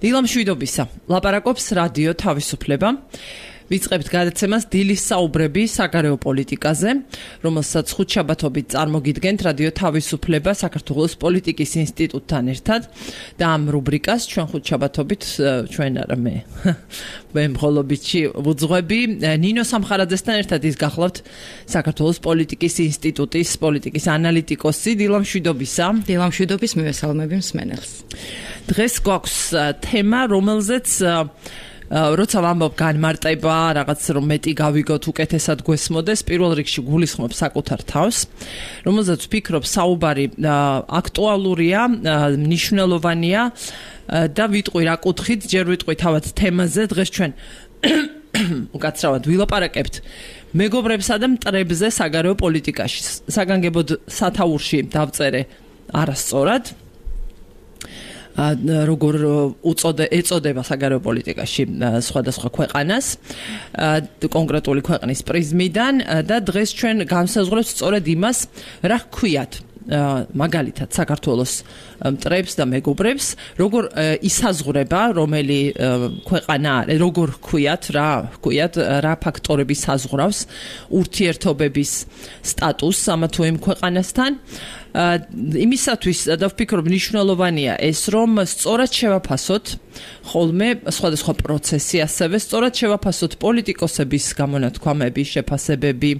დილა მშვიდობისა. ლაპარაკობს რადიო თავისუფლება. ვიწყებთ გადაცემას დილის საუბრები საგარეო პოლიტიკაზე, რომელსაც ხუთშაბათობით წარმოგიდგენთ რადიო თავისუფლება საქართველოს პოლიტიკის ინსტიტუტთან ერთად და ამ რუბრიკას ჩვენ ხუთშაბათობით ჩვენ არა მე მხოლობიჩი ვუძღვები ნინო სამხარაძესთან ერთად ის გახლავთ საქართველოს პოლიტიკის ინსტიტუტის პოლიტიკის ანალიტიკოსი. დილა მშვიდობისა. დილა მშვიდობის მივესალმები მსმენელს. დღეს გვაქვს თემა, რომელზეც როცა ვამბობ განმარტება, რაღაც რომ მეტი გავიგოთ, უკეთესად გვესმოდეს, პირველ რიგში გულისხმობ საკუთარ თავს, რომელზეც ვფიქრობ საუბარი აქტუალურია, მნიშვნელოვანია და ვიტყვი რა კუთხით, ჯერ ვიტყვი თავად თემაზე. დღეს ჩვენ უკაცრავად ვილაპარაკებთ მეგობრებსა და მტრებზე საგარეო პოლიტიკაში. საგანგებოდ სათაურში დავწერე არასწორად. როგორ ეწოდება საგარეო პოლიტიკაში სხვადასხვა ქვეყანას კონკრეტული ქვეყნის პრიზმიდან და დღეს ჩვენ განსაზღვრებთ სწორედ იმას, რა ჰქვიათ მაგალითად საქართველოს მტრებს და მეგობრებს, როგორ ისაზღვრება რომელი ქვეყანა არის, როგორ ჰქვიათ, რა ფაქტორები საზღვრავს ურთიერთობების სტატუსს ამა თუ იმ ქვეყანასთან. იმისათვის და ვფიქრობ მნიშვნელოვანია ეს, რომ სწორად შევაფასოთ ხოლმე სხვადასხვა პროცესი, ასევე სწორად შევაფასოთ პოლიტიკოსების გამონათქვამები, შეფასებები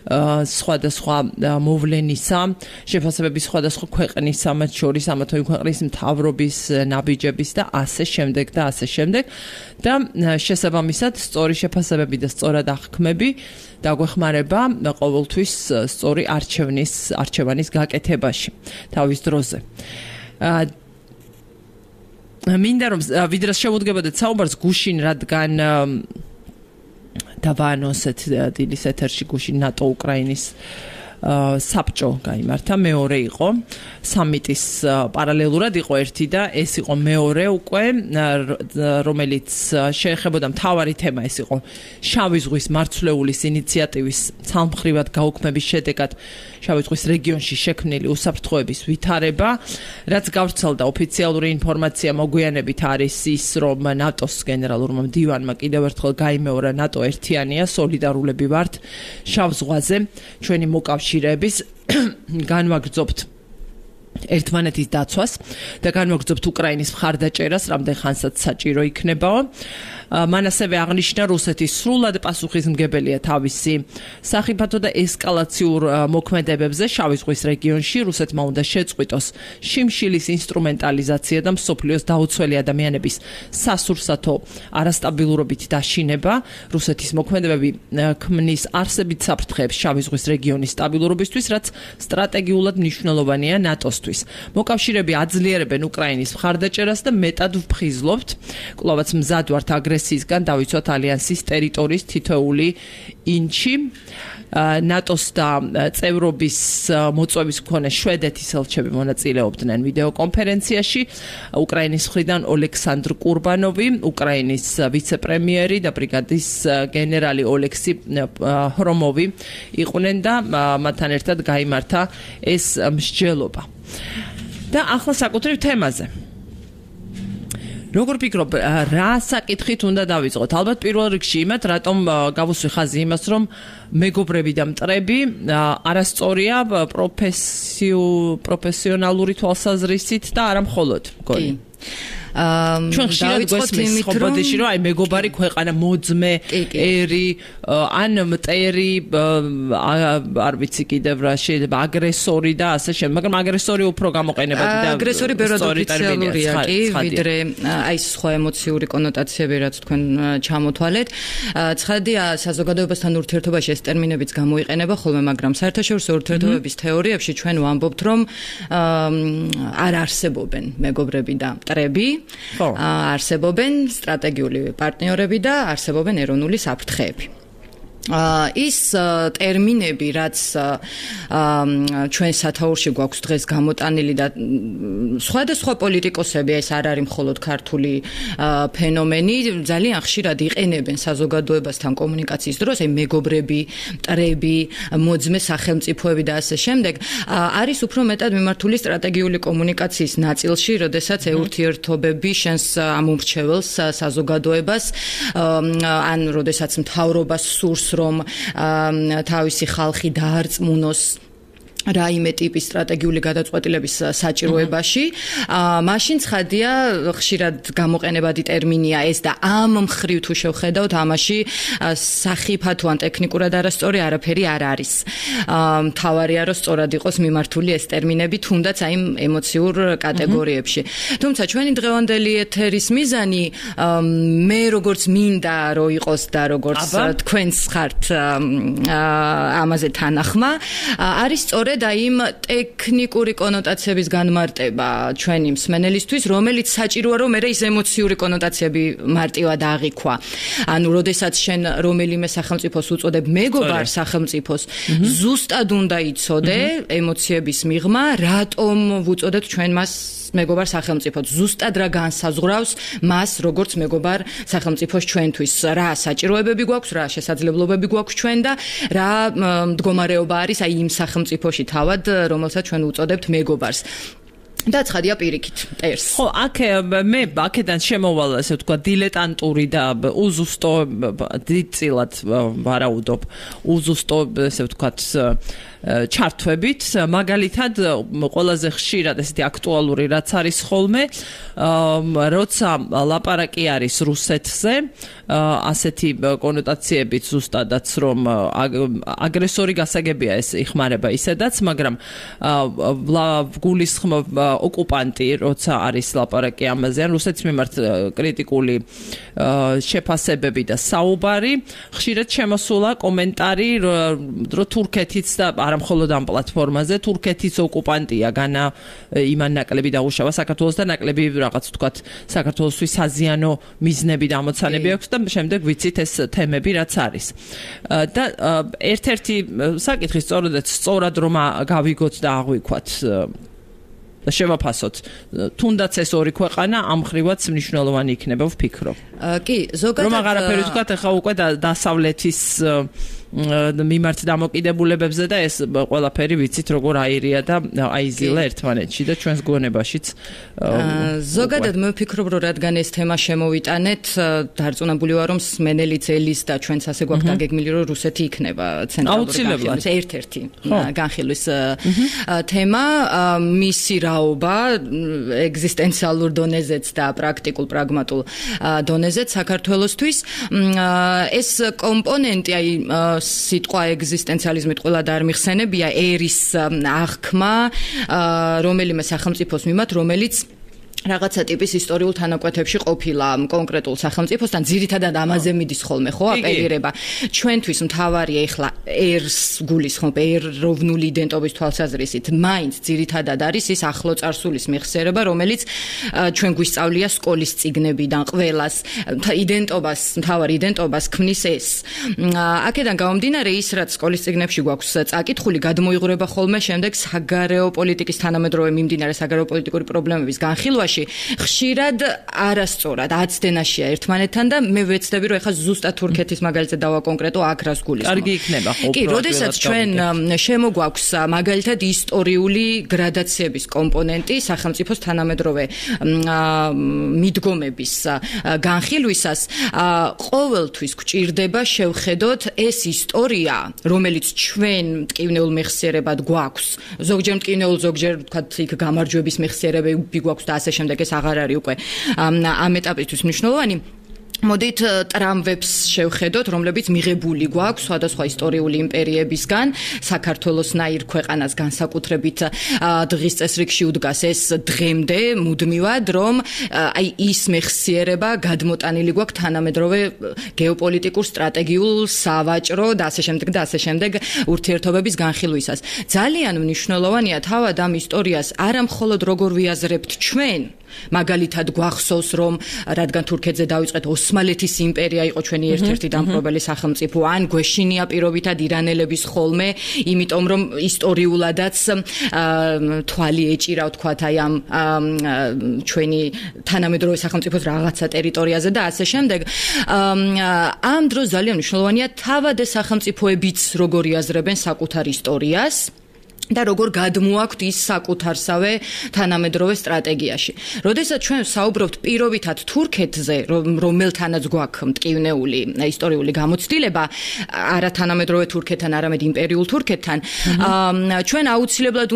სხვადასხვა მოვლენისა, შეფასებები სხვადასხვა ქვეყნისა, მათ შორის ამა თუ იმ ქვეყნის მთავრობის, ნაბიჯების და ასე შემდეგ და ასე შემდეგ და შესაბამისად სწორი შეფასებები და სწორად აღქმები დაგვეხმარება ყოველთვის სწორი არჩევანის გაკეთებაში თავის დროზე. მინდა რომ ვიდრე შევუდგებოდეთ საუბარს გუშინ, რადგან დავაანონსეთ დილის ეთერში გუშინ ნატო უკრაინის საბჭო გაიმართა, მეორე იყო სამიტის პარალელურად იყო ერთი და ეს იყო მეორე უკვე, რომელიც შეეხებოდა მთავარი თემა, ეს იყო შავი ზღვის მარცვლეულის ინიციატივის ცალმხრივად გაუქმების შედეგად შავი ზღვის რეგიონში შექმნილი უსაფრთხოების ვითარება, რაც გავრცელდა ოფიციალური ინფორმაცია მოგვიანებით არის ის, რომ ნატოს გენერალურმა მდივანმა კიდევ ერთხელ გაიმეორა ნატო ერთიანია, სოლიდარულები ვართ შავ ზღვაზე, ჩვენი მოკავშირეების განვაგრძობთ ერთმანეთის დაცვას და განვაგრძობთ უკრაინის მხარდაჭერას, რამდენ ხანსაც საჭირო იქნებაო. მან ასევე აღნიშნა, რუსეთის სრულად პასუხისმგებელია თავისი სახიფათო და ესკალაციურ მოქმედებებზე შავი ზღვის რეგიონში. რუსეთმა უნდა შეწყვიტოს შიმშილის ინსტრუმენტალიზაცია და მსოფლიოს დაუცველი ადამიანების სასურსათო არასტაბილურობით დაშინება. რუსეთის მოქმედებები ქმნის არსებით საფრთხეებს შავი ზღვის რეგიონის სტაბილურობისთვის, რაც სტრატეგიულად მნიშვნელოვანია ნატოსთვის. მოკავშირეები აძლიერებენ უკრაინის მხარდაჭერას და მეტად ვფხიზლობთ, კვლავაც მზად ვართ აგრესიისგან დავიცვათ ალიანსის ტერიტორიის თითოეული ინჩი. ნატოს და წევრობის მოწვევის მქონე შვედეთის ელჩები მონაწილეობდნენ ვიდეო კონფერენციაში. უკრაინის მხრიდან ოლექსანდრ კურბანოვი, უკრაინის ვიცე-პრემიერი და ბრიგადის გენერალი ოლექსი ხრომოვი იყვნენ და მათთან ერთად გაიმართა ეს მსჯელობა. და ახლა საკუთრივ თემაზე. როგორ ფიქრობ, რა საკითხით უნდა დავიწყოთ? ალბათ პირველ რიგში იმათ, რატომ გავუსვი ხაზი იმას, რომ მეგობრები და მტრები არასწორია პროფესიონალური თვალსაზრისით და არა მხოლოდ, მგონი. ჩვენ ხშირად გვესმის ხობოდეში, რომ აი მეგობარი ქვეყანა მოძმე, ერი, ან მტერი, არ ვიცი კიდევ რა შეიძლება აგრესორი და ასე შემდეგ, მაგრამ აგრესორი უფრო გამოყენებადი და აგრესორი ბევრად ოფიციალურია კი, ვიდრე აი სხვა ემოციური კონოტაციები, რაც თქვენ ჩამოთვალეთ. ცხადია, საზოგადოებასთან ურთიერთობაში ეს ტერმინებიც გამოიყენება ხოლმე, მაგრამ საერთაშორისო ურთიერთობების თეორიებში ჩვენ ვამბობთ, რომ არ არსებობენ მეგობრები და მტრები. არსებობენ სტრატეგიული პარტნიორები და არსებობენ ეროვნული საფრთხეები. ის ტერმინები, რაც ჩვენ სათაურში გვაქვს დღეს გამოტანილი და სხვადასხვა პოლიტიკოსები, ეს არ არის მხოლოდ ქართული ფენომენი, ძალიან ხშირად იყენებენ საზოგადოებასთან კომუნიკაციის დროს, აი მეგობრები, მტრები, მოძმე სახელმწიფოები და ასე შემდეგ, არის უფრო მეტად მიმართული სტრატეგიული კომუნიკაციის ნაწილში, როდესაც ეურთიერთობები შენს ამომრჩეველს საზოგადოებას ან როდესაც მთავრობას სურს რომ თავისი ხალხი დაარწმუნოს რაიმე ტიპის სტრატეგიული გადაწყვეტილების საჭიროებაში, მაშინ ცხადია ხშირად გამოყენებადი ტერმინია ეს და ამ მხრივ თუ შევხედავთ, ამაში სახიფათო ან ტექნიკურად არასწორი არაფერი არ არის. მთავარია რომ სწორად იყოს მიმართული ეს ტერმინები, თუნდაც აი ემოციურ კატეგორიებში. თუმცა ჩვენი დღევანდელი ეთერის მიზანი მე როგორც მინდა რომ იყოს და როგორც თქვენს ხართ ამაზე თანახმა, არის სწორედ და იმ ტექნიკური კონოტაციების განმარტება ჩვენი მსმენელისთვის, რომელიც საჭიროა რომ მე ის ემოციური კონოტაციები მარტივად აღიქვა. ანუ, როდესაც შენ რომელიმე სახელმწიფოს უწოდებ მეგობარ სახელმწიფოს, ზუსტად უნდა იცოდე ემოციების მიღმა, რატომ ვუწოდებ ჩვენ მას მეგობარ სახელმწიფოს, ზუსტად რა განსაზღვრავს მას როგორც მეგობარ სახელმწიფოს ჩვენთვის, რა საჭიროებები გვაქვს, რა შესაძლებლობები გვაქვს ჩვენ და რა მდგომარეობა არის აი იმ სახელმწიფოში თავად, რომელსაც ჩვენ უწოდებთ მეგობარს. და ცხადია პირიქით ტერს. ხო, მე აქედან შემოვალ, ასე ვთქვა, დილეტანტური და უზუსტო დიდწილად ვარაუდობ, უზუსტო, ასე ვთქვათ, ჩართვებით, მაგალითად, ყველაზე ხშირად ესეთი აქტუალური რაც არის ხოლმე, როცა ლაპარაკი არის რუსეთზე, ასეთი კონოტაციებით ზუსტადაც რომ აგრესორი გასაგებია ეს იხმარება ისედაც, მაგრამ გულისხმობ ოკუპანტი, როცა არის ლაპარაკი ამაზე, ან რუსეთის მიმართ კრიტიკული შეფასებები და საუბარი, ხშირად შემოსულა კომენტარი, რომ თურქეთიც და არა მხოლოდ ამ პლატფორმაზე, თურქეთის ოკუპანტია, განა იმან ნაკლები დაუშავა საქართველოს და ნაკლები რაღაც ვთქვათ, საქართველოსთვის საზიანო მიზნები და ამოცანები აქვს და შემდეგ ვიცით ეს თემები რაც არის. და ერთ-ერთი საკითხი სწორად რომ გავიგოთ და აღვიქვათ და შევაფასოთ. თუნდაც ეს ორი ქვეყანა ამ ხრივაც მნიშვნელოვანი იქნება, ვფიქრობ. კი, ზოგადად რომ აღარაფერი ვთქვათ, ახლა უკვე დასავლეთის მიმართ დამოკიდებულებებზე და ეს ყველაფერი ვიცით როგორ აირია და აიზილა ერთმანეთში და ჩვენს გონებაშიც. ზოგადად მე ვფიქრობ, რომ რადგან ეს თემა შემოვიტანეთ, დარწმუნებული ვარ, რომ მსმენელი ძელის და ჩვენც ასე გვაქვს დაგეგმილი, რომ რუსეთი იქნება ცენტრალური განხილვის ერთ-ერთი განხილვის თემა, მისი რაობა ეგზისტენციალურ დონეზეც და პრაქტიკულ პრაგმატულ დონეზეც საქართველოსთვის ეს კომპონენტი აი სიტყვა ეგზისტენციალიზმით ყველა და არ მიხსენებია ერის აღქმა რომელიმე სახელმწიფოს მიმართ, რომელიც რაღაცა ტიპის ისტორიულ თანაკვეთებში ყოფილა კონკრეტულ სახელმწიფოსთან, ძირითადად ამაზე მიდის ხოლმე, ხო, აპელირება. ჩვენთვის მთავარია ეხლა ერს გულისხმობ, ეროვნული იდენტობის თვალსაზრისით, მაინც ძირითადად არის ის ახლო წარსულის მეხსიერება, რომელიც ჩვენ გვისწავლია სკოლის წიგნებიდან ყველას, იდენტობას, მთავარ იდენტობას ქმნის ეს. აქედან გამომდინარე ის, რაც სკოლის წიგნებში გვაქვს წაკითხული, გადმოიღვრება ხოლმე შემდეგ საგარეო პოლიტიკის თანამედროვე მიმდინარე საგარეო პოლიტიკური პრობლემების განხილვაში ხშირად არასწორად აცდენაშია ერთმანეთთან და მე ვეცდები რომ ეხლა ზუსტად თურქეთის მაგალითად დავაკონკრეტო აქ რას გულისხმობ. კარგი იქნება ხო? კი, როდესაც ჩვენ შემოგვაქვს მაგალითად ისტორიული გრადაციების კომპონენტი სახელმწიფოს თანამედროვე მიდგომების განხილვისას, ყოველთვის გვჭირდება შევხედოთ ეს ისტორია, რომელიც ჩვენ მტკივნეულ მეხსიერებად გვაქვს. ზოგჯერ მტკივნეულ, ზოგჯერ ვთქვათ იქ გამარჯვების მეხსიერებები გვაქვს და ასე შემდეგ, ეს აღარ არის უკვე ამ ეტაპისთვის მნიშვნელოვანი. მოდით ტრამვებს შევხედოთ, რომლებიც მიღებული გვაქვს სხვადასხვა ისტორიული იმპერიებისგან, საქართველოსნაირ ქვეყანას განსაკუთრებით დღის წესრიგში უდგას ეს დღემდე მუდმივად, რომ აი ის მეხსიერება გადმოტანილი გვაქვს თანამედროვე გეოპოლიტიკურ, სტრატეგიულ, სავაჭრო და ასე შემდეგ ურთიერთობების განხილვისას. ძალიან მნიშვნელოვანია თავად ამ ისტორიას არა მხოლოდ როგორ ვიაზრებთ ჩვენ, მაგალითად გვახსოვს რომ რადგან თურქეთზე დაიწყეთ ოსმალეთის იმპერია იყო ჩვენი ერთ-ერთი დამპყრობელი სახელმწიფო ან გვეშინია პირობითად ირანელების ხოლმე იმიტომ რომ ისტორიულადაც თვალი ეჭირა ვთქვათ აი ამ ჩვენი თანამედროვე სახელმწიფოს რაღაცა ტერიტორიაზე და ასე შემდეგ ამ დროს ძალიან მნიშვნელოვანია თავად ეს სახელმწიფოებიც როგორ იაზრებენ საკუთარ ისტორიას და როგორ გადმოაქვთ ის საკუთარსავე თანამედროვე სტრატეგიაში. როდესაც ჩვენ საუბრობთ პირობითად თურქეთზე, რომელთანაც გვაქვს მტკივნეული ისტორიული გამოცდილება, არა თანამედროვე თურქეთთან, არამედ იმპერიულ თურქეთთან, ჩვენ აუცილებლად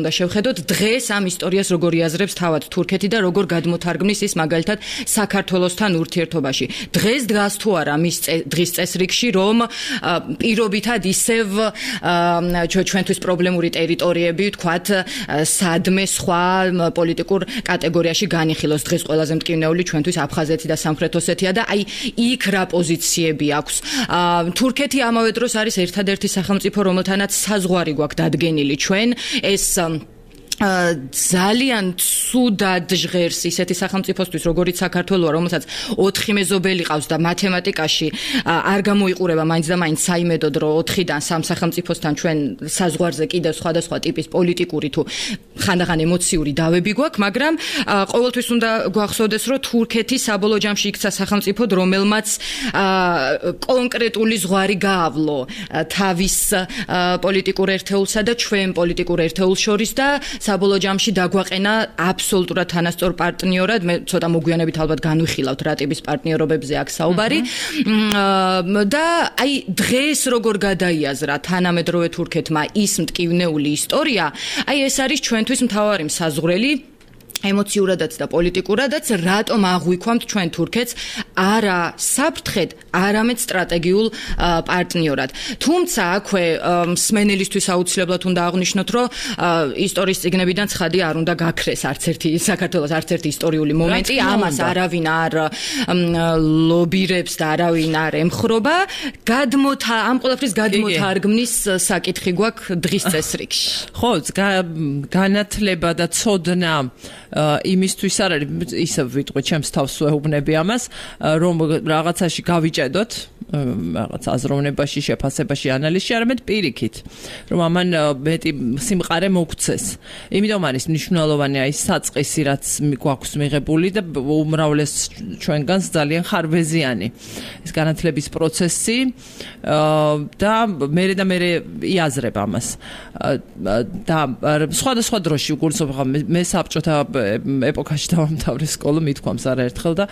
უნდა შევხედოთ დღეს ამ ისტორიას როგორ იაზრებს თავად თურქეთი და როგორ გადმოთარგმნის ის მაგალითად საქართველოსთან ურთიერთობაში. დღეს დგას თუ არა მის დღის წესრიგში, რომ პირობითად ისევ ჩვენთვის პრობლემური ტერიტორიები, ვთქვათ, სადმე სხვა პოლიტიკურ კატეგორიაში განიხილოს. დღეს ყველაზე მტკივნეული ჩვენთვის აფხაზეთი და სამხრეთ ოსეთია და აი იქ რა პოზიციები აქვს. თურქეთი ამავე დროს არის ერთადერთი სახელმწიფო, რომელთანაც საზღვარი გვაქვს დადგენილი ჩვენ. ეს ძალიან ცუდად ჟღერს ისეთი სახელმწიფოსთვის, როგორიც საქართველოა, რომელსაც 4 მეზობელი ყავს და მათემატიკაში არ გამოიყურება მაინც და მაინც საიმედოდ, რომ 4-დან 3 სახელმწიფოსთან ჩვენ საზღვარზე კიდევ სხვადასხვა ტიპის პოლიტიკური თუ ხანდახან ემოციური დავები გვაქვს, მაგრამ ყოველთვის უნდა გვახსოვდეს, რომ თურქეთი საბოლოო ჯამში იქცა სახელმწიფოდ, რომელმაც კონკრეტული ზღვარი გაავლო თავის პოლიტიკურ ერთეულსა და ჩვენ პოლიტიკურ ერთეულს შორის და საბოლოო ჯამში დაგვაყენა აბსოლუტურად თანასწორ პარტნიორად. მე ცოტა მოგვიანებით ალბათ განვიხილავთ რა ტიპის პარტნიორობებზე აქ საუბარი. და აი დღეს როგორ გადაიაზრა თანამედროვე თურქეთმა ის მტკივნეული ისტორია, აი ეს არის ჩვენთვის მთავარი მსაზღვრელი ემოციურადაც და პოლიტიკურადაც, რატომ აღვიქვამთ ჩვენ თურქეთს არა საფრთხედ, არამედ სტრატეგიულ პარტნიორად. თუმცა აქვე მსმენელისთვის აუცილებლად უნდა აღვნიშნოთ, რომ ისტორიის წიგნებიდან ცხადი არ უნდა გაქრეს არც ერთი საქართველოს არც ერთი ისტორიული მომენტი, ამას არავინ არ ლობირებს და არავინ არ ემხრობა. ამ ყველაფრის გადმოთარგმნის საკითხი გვაქვს დღის წესრიგში. ხო, განათლება და ცოდნა იმისთვის არ არის, ისე ვიტყვი, ჩემს თავს ვეუბნები ამას, რომ რაღაცაში გავიჭედოთ, რაღაც აზროვნებაში, შეფასებაში, ანალიზში, არამედ პირიქით, რომ ამან მეტი სიმყარე მოგცეს. იმიტომ არის მნიშვნელოვანი აი საწყისი, რაც გვაქვს მიღებული და უმრავლეს ჩვენგანს ძალიან ხარბეზიანი ეს განათლების პროცესი და მე იაზრებ ამას. და სხვადასხვა დროში უგულისხმობ მე საბჭოთა ეპოქაში დავამთავრე სკოლა, მithქვამს არაერთხელ და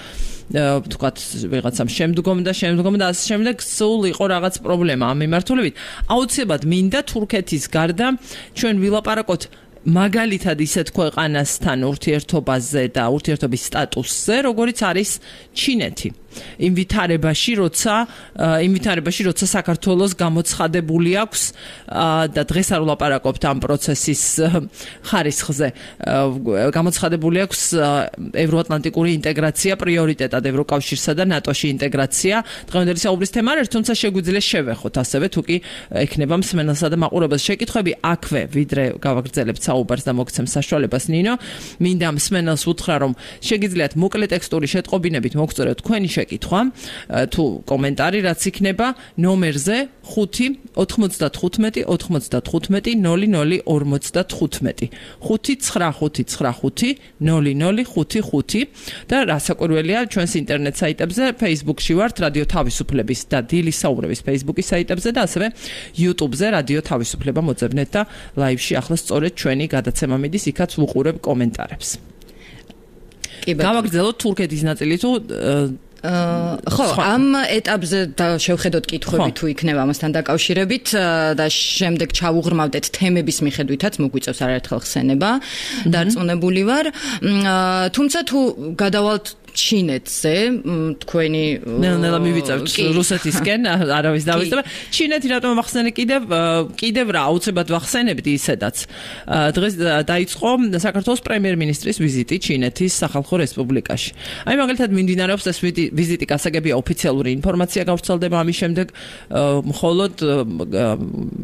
ვთქვათ ვიღაცამ შემდგომ და ასე შემდეგ სულ იყო რაღაც პრობლემა ამ მიმართულებით. აუცილებლად მინდა თურქეთის გარდა ჩვენ ვილაპარაკოთ მაგალითად ისეთ ქვეყანასთან ურთიერთობაზე და ურთიერთობის სტატუსზე, როგორიც არის ჩინეთი. იმ ვითარებაში, როცა საქართველოს გამოცხადებული აქვს და დღეს არ ვლაპარაკობთ ამ პროცესის ხარისხზე. გამოცხადებული აქვს ევროატლანტიკური ინტეგრაცია პრიორიტეტად ევროკავშირსა და ნატოში ინტეგრაცია. დღევანდელი საუბრის თემა არის, თუმცა შეგვიძლია შევეხოთ ასევე, თუ კი ექნება მსმენელსა და მაყურებელს შეკითხვები, აქვე ვიდრე გავაგრძელებთ საუბარს და მოგცემ საშუალებას ნინო. მინდა მსმენელს უთხრა, რომ შეგიძლიათ მოკლე ტექსტური შეტყობინებით მოგწოდოთ თქვენი შეკითხვა თუ კომენტარი რაც იქნება ნომერზე 5 95 95 00 55 595 0055 და რასაკვირველია ჩვენს ინტერნეტ საიტებზე Facebook-ში ვართ რადიო თავისუფლების და დილის საუბრების Facebook-ის საიტებზე და ასევე YouTube-ზე რადიო თავისუფლება მოძებნეთ და ლაივში ახლა სწორედ ჩვენი გადაცემა მიდის, იქაც ვუყურებ კომენტარებს. გავაგრძელოთ თურქეთის ნაწილი თუ ხო, ამ ეტაპზე შევხედოთ კითხვები თუ იქნება ამასთან დაკავშირებით და შემდეგ ჩავუღრმავდეთ თემების მიხედვითაც მოგვიწევს არაერთხელ ხსენება, დარწმუნებული ვარ. თუმცა თუ გადავალთ ჩინეთზე თქვენი ნელა მივიწევთ რუსეთისკენ არავის დავისწრება ჩინეთი რატომ ახსენე კიდევ რა აუცილებლად ვახსენებდი ისედაც დღეს დაიწყო საქართველოს პრემიერ-მინისტრის ვიზიტი ჩინეთის სახალხო რესპუბლიკაში აი მაგალითად მიმდინარეობს ეს ვიზიტი გასაგებია ოფიციალური ინფორმაცია გავრცელდება ამის შემდეგ მხოლოდ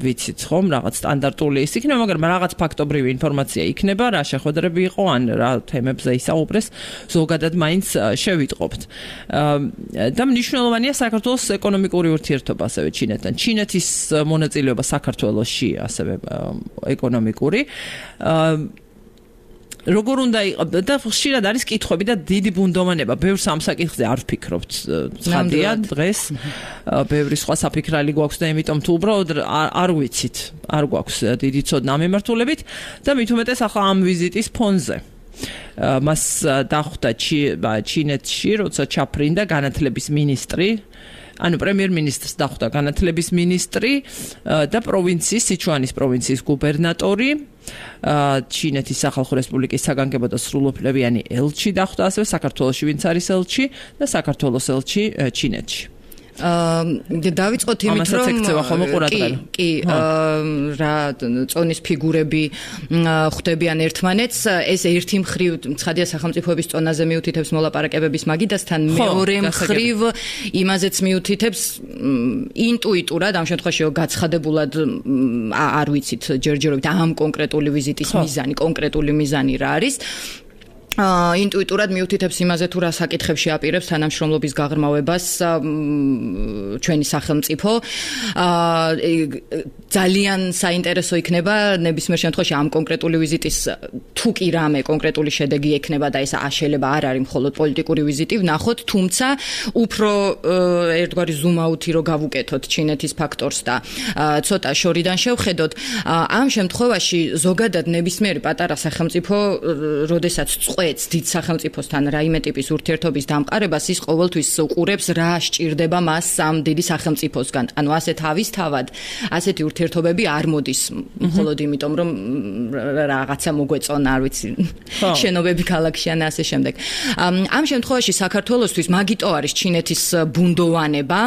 ვიცით ხომ რაღაც სტანდარტული ის იქნება მაგრამ რაღაც ფაქტობრივი ინფორმაცია იქნება რა შეხვედრები იყო ან რა თემებზე ისაუბრეს ზოგადად მაინც შევიტყობთ და მნიშვნელოვანია საქართველოს ეკონომიკური ურთიერთობა ასევე ჩინეთთან ჩინეთის მონაწილეობა საქართველოში ასევე ეკონომიკური როგორ უნდა და ხშირად არის კითხვები და დიდი ბუნდოვანება ბევრს ამ საკითხზე არ ვფიქრობთ ცხადია დღეს ბევრი სხვა საფიქრალი გვაქვს და იმიტომ თუ უბრალოდ არ ვიცით არ გვაქვს დიდი ცოდნა ამ მიმართულებით და მით უმეტეს ახლა ამ ვიზიტის ფონზე მას დახვდა ჩინეთში როცა ჩაფრინდა განათლების მინისტრი ანუ პრემიერ-მინისტრს დახვდა განათლების მინისტრი და პროვინციის სიჩუანის პროვინციის გუბერნატორი ჩინეთის სახალხო რესპუბლიკის საგანგებო და სრულუფლებიანი ელჩი დახვდა ასევე საქართველოში ვინც არის ელჩი და საქართველოს ელჩი ჩინეთში დავიწყოთ იმით რომ კი რა წონის ფიგურები ხვდებიან ერთმანეთს ეს ერთი მხრივ ცხადია სახელმწიფოების წონაზე მიუთითებს მოლაპარაკებების მაგიდასთან მეორე მხრივ იმაზეც მიუთითებს ინტუიტურად ამ შემთხვევაში გაცხადებულად არ ვიცით ჯერჯერობით ამ კონკრეტული ვიზიტის მიზანი კონკრეტული მიზანი რა არის ინტუიტურად მიუთითებს იმაზე თუ რა საკითხებში აპირებს თანამშრომლობის გაღრმავებას ჩვენი სახელმწიფო ძალიან საინტერესო იქნება ნებისმიერ შემთხვევაში ამ კონკრეტული ვიზიტის თუ კი რამე კონკრეტული შედეგი ექნება და ეს შეიძლება არ არის მხოლოდ პოლიტიკური ვიზიტი ვნახოთ თუმცა უფრო ერთგვარი ზუმაუთი რო გავუკეთოთ ჩინეთის ფაქტორს და ცოტა შორიდან შევხედოთ ამ შემთხვევაში ზოგადად ნებისმიერი პატარა სახელმწიფო როდესაც წყვეტს დიდ სახელმწიფოსთან რაიმე ტიპის ურთიერთობის დამყარებას ის ყოველთვის უყურებს რა სჭირდება მას ამ დიდი სახელმწიფოსგან ანუ ასე თავისთავად ასეთი ურთიერთობები არ მოდის მხოლოდ იმიტომ რომ რაღაცა მოგვეწონა არ ვიცი შენობები ქალაქში ან ასე შემდეგ ამ შემთხვევაში საქართველოსთვის მაგიტო არის ჩინეთის ბუნდოვანება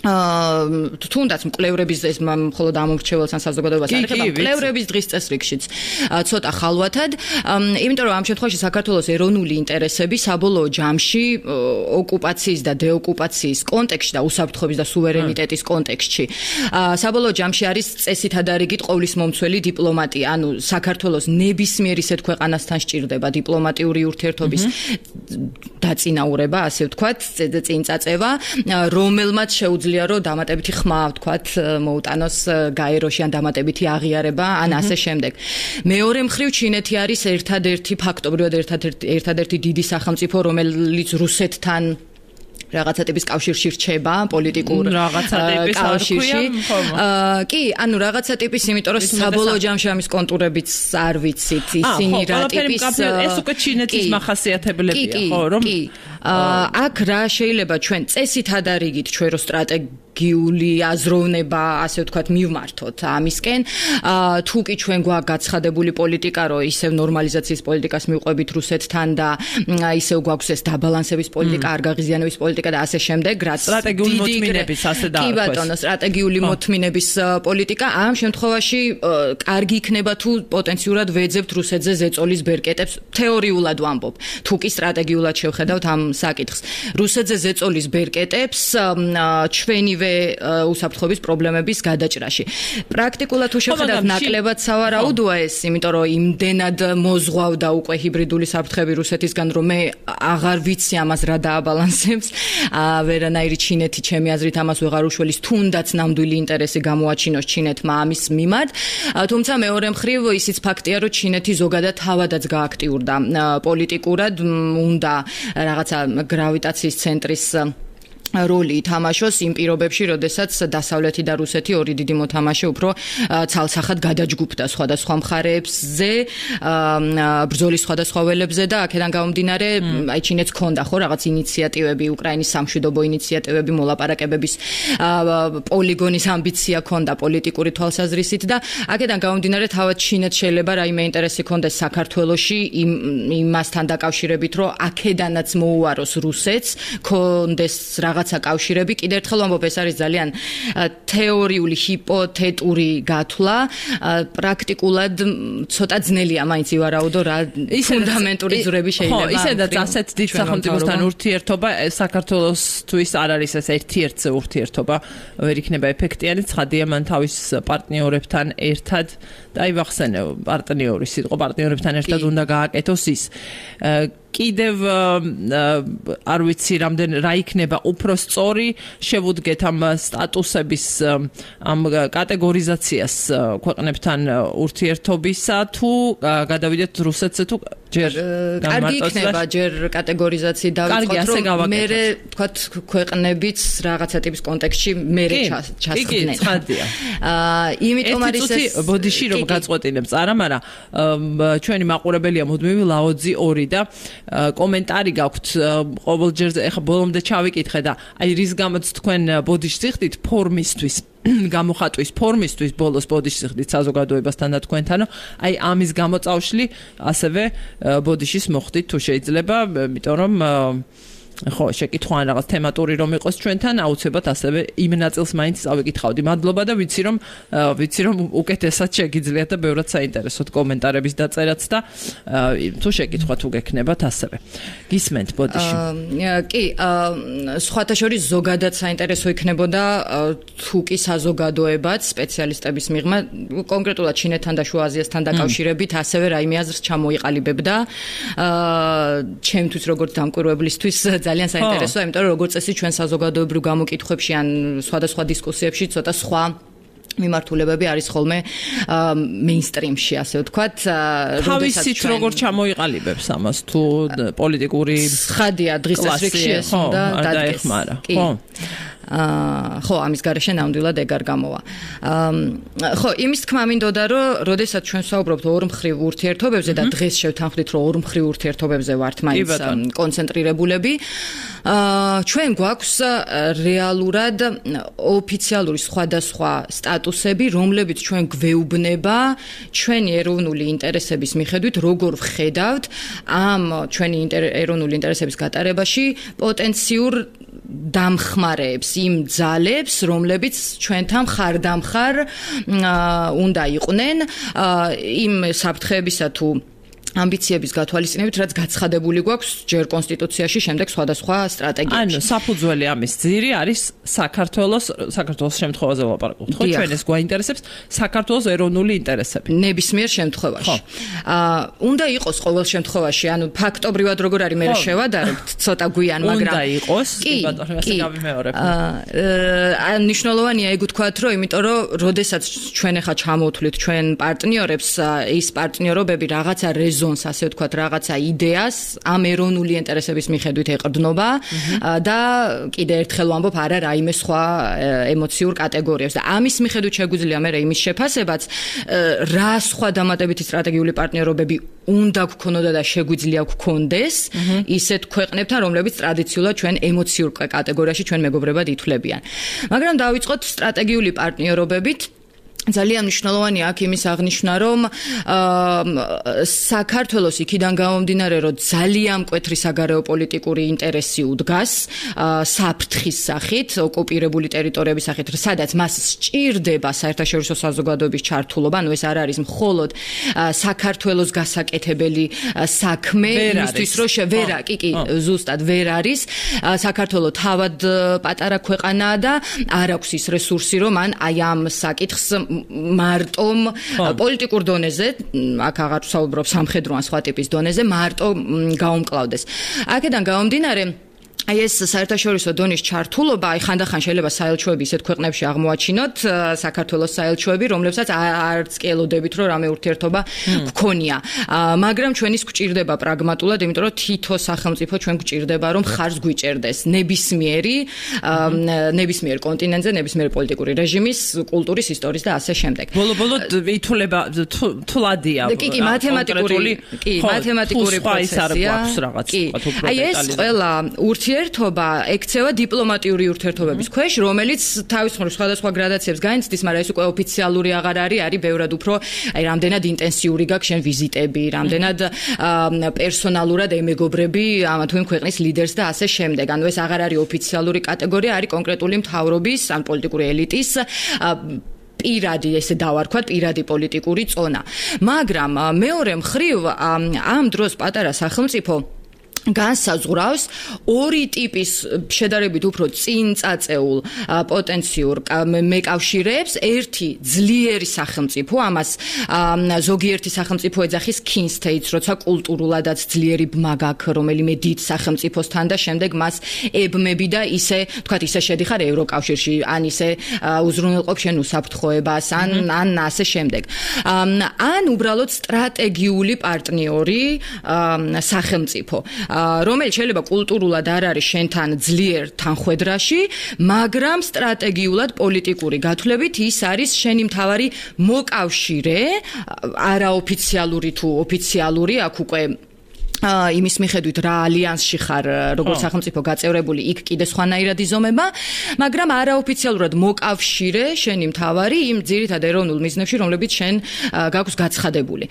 თუნდაც მკვლევრების ეს მხოლოდ ამორჩეველს ან საზოგადოებას არ ეხება მკვლევრების დღის წესრიგშიც ცოტა ხალვათად იმიტომ რომ ამ შემთხვევაში საქართველოს ეროვნული ინტერესები საბოლოო ჯამში ოკუპაციის და დეოკუპაციის კონტექსტში და უსაფრთხოების და სუვერენიტეტის კონტექსტში საბოლოო ჯამში არის წესით ადარიგით ყოვლის მომცველი დიპლომატია ანუ საქართველოს ნებისმიერ ისეთ ქვეყანასთან სჭირდება დიპლომატიური ურთიერთობის დაწინაურება ასე ვთქვათ წინ წაწევა რომელმაც შეუძლია რომ დამატებითი ხმა ვთქვათ მოუტანოს გაეროში ან დამატებითი აღიარება ან ასე შემდეგ. მეორე მხრივ ჩინეთი არის ერთადერთი ფაქტობრივად ერთადერთი დიდი სახელმწიფო რომელიც რუსეთთან რაღაცა ტიპის კავშირში რჩება პოლიტიკურ კავშირში. კი, ანუ რაღაცა ტიპის, იმიტომ რომ საბოლოო ჯამში ამის კონტურებიც არ ვიცით, ისინი რა ტიპის ეს უკვე ჩინეთის მახასიათებლებია, ხო, რომ აქ რა შეიძლება ჩვენ წესით ადარიგით ჩვენ რო სტრატეგიული აზროვნება, ასე ვთქვათ, მივმართოთ ამისკენ, თუ კი ჩვენ გვაქვს გაცხადებული პოლიტიკა, რომ ისევ ნორმალიზაციის პოლიტიკას მივყვებით რუსეთთან და ისევ გვაქვს ეს დაბალანსების პოლიტიკა, არ გაღიზიანების პოლიტიკა და ასე შემდეგ, რაც სტრატეგიული მოთმინების ასე დაარქვეს. კი ბატონო, სტრატეგიული მოთმინების პოლიტიკა ამ შემთხვევაში კარგი იქნება თუ პოტენციურად ვეძებთ რუსეთზე ზეწოლის ბერკეტებს, თეორიულად ვამბობ. თუ კი სტრატეგიულად შევხედავთ ამ საკითხს. რუსეთზე ზეწოლის ბერკეტებს ჩვენივე უსაფრთხოების პრობლემების გადაჭრაში. პრაქტიკულად თუ შევხედავთ ნაკლებად სავარაუდოა ეს, იმიტომ რომ იმდენად მოზღვავდა უკვე ჰიბრიდული საფრთხეები რუსეთისგან, რომ მე აღარ ვიცი ამას რა დააბალანსებს. ვერანაირი ჩინეთი ჩემი აზრით ამას ვეღარ უშველის, თუნდაც ნამდვილი ინტერესი გამოაჩინოს ჩინეთმა ამის მიმართ. თუმცა მეორე მხრივ ისიც ფაქტია, რომ ჩინეთი ზოგადად თავადაც გააქტიურდა პოლიტიკურად, უნდა რაღაცა გრავიტაციის ცენტრის როლი ითამაშოს იმ პირობებში, როდესაც დასავლეთი და რუსეთი ორი დიდი მოთამაშე უფრო ცალსახად გადაჯგუფდა სხვადასხვა მხარეებზე, ბრძოლის სხვადასხვა ველებზე და აქედან გამომდინარე, აი ჩინეთს ჰქონდა ხო რაღაც ინიციატივები, უკრაინის სამშვიდობო ინიციატივები, მოლაპარაკებების პოლიგონის ამბიცია ჰქონდა პოლიტიკური თვალსაზრისით და აქედან გამომდინარე, თავად ჩინეთს შეიძლება რაიმე ინტერესი ჰქონდეს საქართველოში იმასთან დაკავშირებით, რომ აქედანაც მოუაროს რუსეთს, ჰქონდეს რაღაცა კავშირები. კიდევ ერთხელ ვამბობ, ეს არის ძალიან თეორიული, ჰიპოთეტური გათვლა. პრაქტიკულად ცოტა ძნელია მაინც ივარაუდო რა ფუნდამენტური ძვრები შეიძლება. ხო, ისედაც ასეთ დიდ სახელმწიფოსთან ურთიერთობა საქართველოსთვის არ არის ეს ერთ-ერთი ურთიერთობა, ვერ იქნება ეფექტიანი. ცხადია, მან თავის პარტნიორებთან ერთად და აი ვახსენე პარტნიორის სიტყვა პარტნიორებთან ერთად უნდა გააკეთოს ის. კიდევ არ ვიცი რა იქნება უფრო სწორი შევუდგეთ ამ სტატუსების ამ კატეგორიზაციას ქვეყნებთან ურთიერთობისა თუ გადავიდეთ რუსეთზე თუ ჯერ კარგი იქნება ჯერ კატეგორიზაცია დავიწყოთ რომ მე თქვა ქვეყნებიც რაღაცა ტიპის კონტექსტში მე ჩასხდნენ. იმიტომ არის ეს ბოდიში რომ გაწყვეტინებს არა, მაგრამ ჩვენი მაყურებელია მუდმივი ლაოძი 2 და კომენტარი გაქვთ ყოველჯერზე ეხა ბოლომდე ჩავიკითხე და აი რის გამოც თქვენ ბოდიშს იხდით ფორმისთვის გამოხატვის ფორმისთვის ბოლოს ბოდიშს იხდით საზოგადოებასთან და თქვენთანო აი ამის გამოწავშლი ასევე ბოდიშის მოხდით თუ შეიძლება იმიტომ რომ ხო, შეკითხვა ან რაღაც თემატური რომ იყოს ჩვენთან, აუცილებლად ასევე იმ ნაწილს მაინც წავიკითხავდი. მადლობა და ვიცი რომ უკეთესად შეგიძლიათ და ბევრად საინტერესოდ კომენტარების დაწერაც და თუ შეკითხვა თუ გექნებათ ასევე. გისმენთ ბოდიში. კი, სხვათა შორის ზოგადად საინტერესო იქნებოდა თუ კი საზოგადოებაც სპეციალისტების მიღმა კონკრეტულად ჩინეთთან და შუა აზიასთან დაკავშირებით ასევე რაიმე აზრს ჩამოიყალიბებდა. ჩემთვის როგორც დამკვირვებლისთვის ძალიან საინტერესოა, იმიტომ რომ როგორც წესი ჩვენ საზოგადოებრივ გამოკითხვებში ან სხვადასხვა დისკუსიებში ცოტა სხვა მიმართულებები არის ხოლმე მეინსტრიმში, ასე ვთქვათ, თავისით როგორ ჩამოიყალიბებს ამას თუ პოლიტიკური ხადია დღის წესრიგში ეს უნდა დაეხმარა. ხო. ხო, ამის გარეშე ნამდვილად ეგ არ გამოვა. ხო, იმის თქმა მინდოდა, რომ როდესაც ჩვენ ვსაუბრობთ ორმხრივ ურთიერთობებზე და დღეს შევთანხმდით, რომ ორმხრივ ურთიერთობებზე ვართ მაინც კონცენტრირებულები, ჩვენ გვაქვს რეალურად ოფიციალური სხვადასხვა სტატუსები, რომლებიც ჩვენ გვეუბნება ჩვენი ეროვნული ინტერესების მიხედვით, როგორ ვხედავთ ამ ჩვენი ეროვნული ინტერესების გატარებაში პოტენციურ დამხმარეებს, იმ ძალებს, რომლებიც ჩვენთან მხარდამხარ უნდა იყვნენ იმ საფრთხეებისა თუ ამბიციების გათვალისწინებით, რაც გაცხადებული გვაქვს ჯერ კონსტიტუციაში, შემდეგ სხვადასხვა სტრატეგიაში. ანუ საფუძველი ამის ძირი არის საქართველოს შემთხვევაზე ვლაპარაკობთ, ხო? ჩვენ ეს გვაინტერესებს საქართველოს ეროვნული ინტერესები. ნებისმიერ შემთხვევაში. უნდა იყოს ყოველ შემთხვევაში, ანუ ფაქტობრივად როგორ არის მე შევადარებთ ცოტა გვიან, მაგრამ უნდა იყოს, ბატონო, ასე გავიმეორებ. მნიშვნელოვანია ეგ ვთქვათ, რომ იმიტომ რომ როდესაც ჩვენ ახლა ჩამოვთვლით ჩვენ პარტნიორებს, ის პარტნიორობები რაღაცა ასე ვთქვათ, რაღაცა იდეას ამ ეროვნული ინტერესების მიხედვით ეყრდნობა და კიდევ ერთხელ ვამბობ, არა რაიმე სხვა ემოციურ კატეგორიებს და ამის მიხედვით შეგვიძლია მე იმის შეფასებაც, რა სხვა დამატებითი სტრატეგიული პარტნიორობები უნდა გქონოდა და შეგვიძლია გქონდეს ისეთ ქვეყნებთან, რომლებიც ტრადიციულად ჩვენ ემოციურ კატეგორიაში ჩვენ მეგობრებად ითვლებიან. მაგრამ დავიწყოთ სტრატეგიული პარტნიორობებით. ძალიან მნიშვნელოვანია აქ იმის აღნიშვნა, რომ საქართველოს იქიდან გამომდინარე, რომ ძალიან მკვეთრი საგარეო პოლიტიკური ინტერესი უდგას საფრთხის სახით, ოკუპირებული ტერიტორიების სახით, სადაც მას სჭირდება საერთაშორისო საზოგადოების ჩართულობა, ანუ ეს არ არის მხოლოდ საქართველოს გასაკეთებელი საქმე, იმისთვის რომ კი, ზუსტად ვერ არის. საქართველო თავად პატარა ქვეყანაა და არ აქვს ის რესურსი, რომ მან აი ამ საკითხს მარტომ პოლიტიკურ დონეზე, აქ აღარ ვსაუბრობ სამხედრო ან სხვა ტიპის დონეზე, მარტო გაუმკლავდეს. აქედან გამომდინარე აი ეს საერთაშორისო დონის ჩართულობა, აი ხანდახან შეიძლება საელჩოები ისეთ ქვეყნებში აღმოაჩინოთ, საქართველოს საელჩოები, რომლებსაც არც კი ელოდებით, რომ რამე ურთიერთობა გქონია. მაგრამ ჩვენის გვჭირდება პრაგმატულად, იმიტომ რომ თითო სახელმწიფო ჩვენ გვჭირდება, რომ ხარს გვიჭერდეს ნებისმიერ კონტინენტზე, ნებისმიერ პოლიტიკური რეჟიმის, კულტურის, ისტორიის და ასე შემდეგ. ბოლო-ბოლო ითულება თულადია. კი, მათემატიკური პროცესია. აი ეს ყველა ურთიერთობა ექცევა დიპლომატიური ურთიერთობების ქვეშ, რომელიც თავის მხრივ სხვადასხვა გრადაციებს განიცდის, მაგრამ ეს უკვე ოფიციალური აღარ არის ბევრად უფრო აი რამდენად ინტენსიური გაქვს შენ ვიზიტები, რამდენად პერსონალურად ემეგობრები ამა თუ იმ ქვეყნის ლიდერს და ასე შემდეგ. ანუ ეს აღარ არის ოფიციალური კატეგორია, არის კონკრეტული მთავრობის ან პოლიტიკური ელიტის პირადი, ესე დავარქვათ, პირადი პოლიტიკური წონა. მაგრამ მეორე მხრივ ამ დროს პატარა სახელმწიფო განსაზღვრავს ორი ტიპის შედარებით უფრო წინ წაწეულ პოტენციურ მეკავშირეებს. ერთი ძლიერი სახელმწიფო, ამას ზოგიერთი სახელმწიფო ეძახის kin states, როცა კულტურულადაც ძლიერი ბმა გაქვს რომელიმე დიდ სახელმწიფოსთან და შემდეგ მას ებმები და ისე, თქვათ, ისე შედიხარ ევროკავშირში, ან ისე უზრუნველყოფ შენ უსაფრთხოებას, ან ასე შემდეგ. ან უბრალოდ სტრატეგიული პარტნიორი სახელმწიფო, რომელიც შეიძლება კულტურულად არ არის შენთან ძლიერ თანხვედრაში, მაგრამ სტრატეგიულად პოლიტიკური გათვლებით ის არის შენი მთავარი მოკავშირე, არაოფიციალური თუ ოფიციალური, აქ უკვე იმის მიხედვით რა ალიანსში ხარ, როგორც სახელმწიფო გაწევრებული, იქ კიდე სხვანაირად იზომება, მაგრამ არაოფიციალურად მოკავშირე შენი მთავარი იმ ძირითად ეროვნულ მიზნებში, რომლებიც შენ გაქვს გაცხადებული.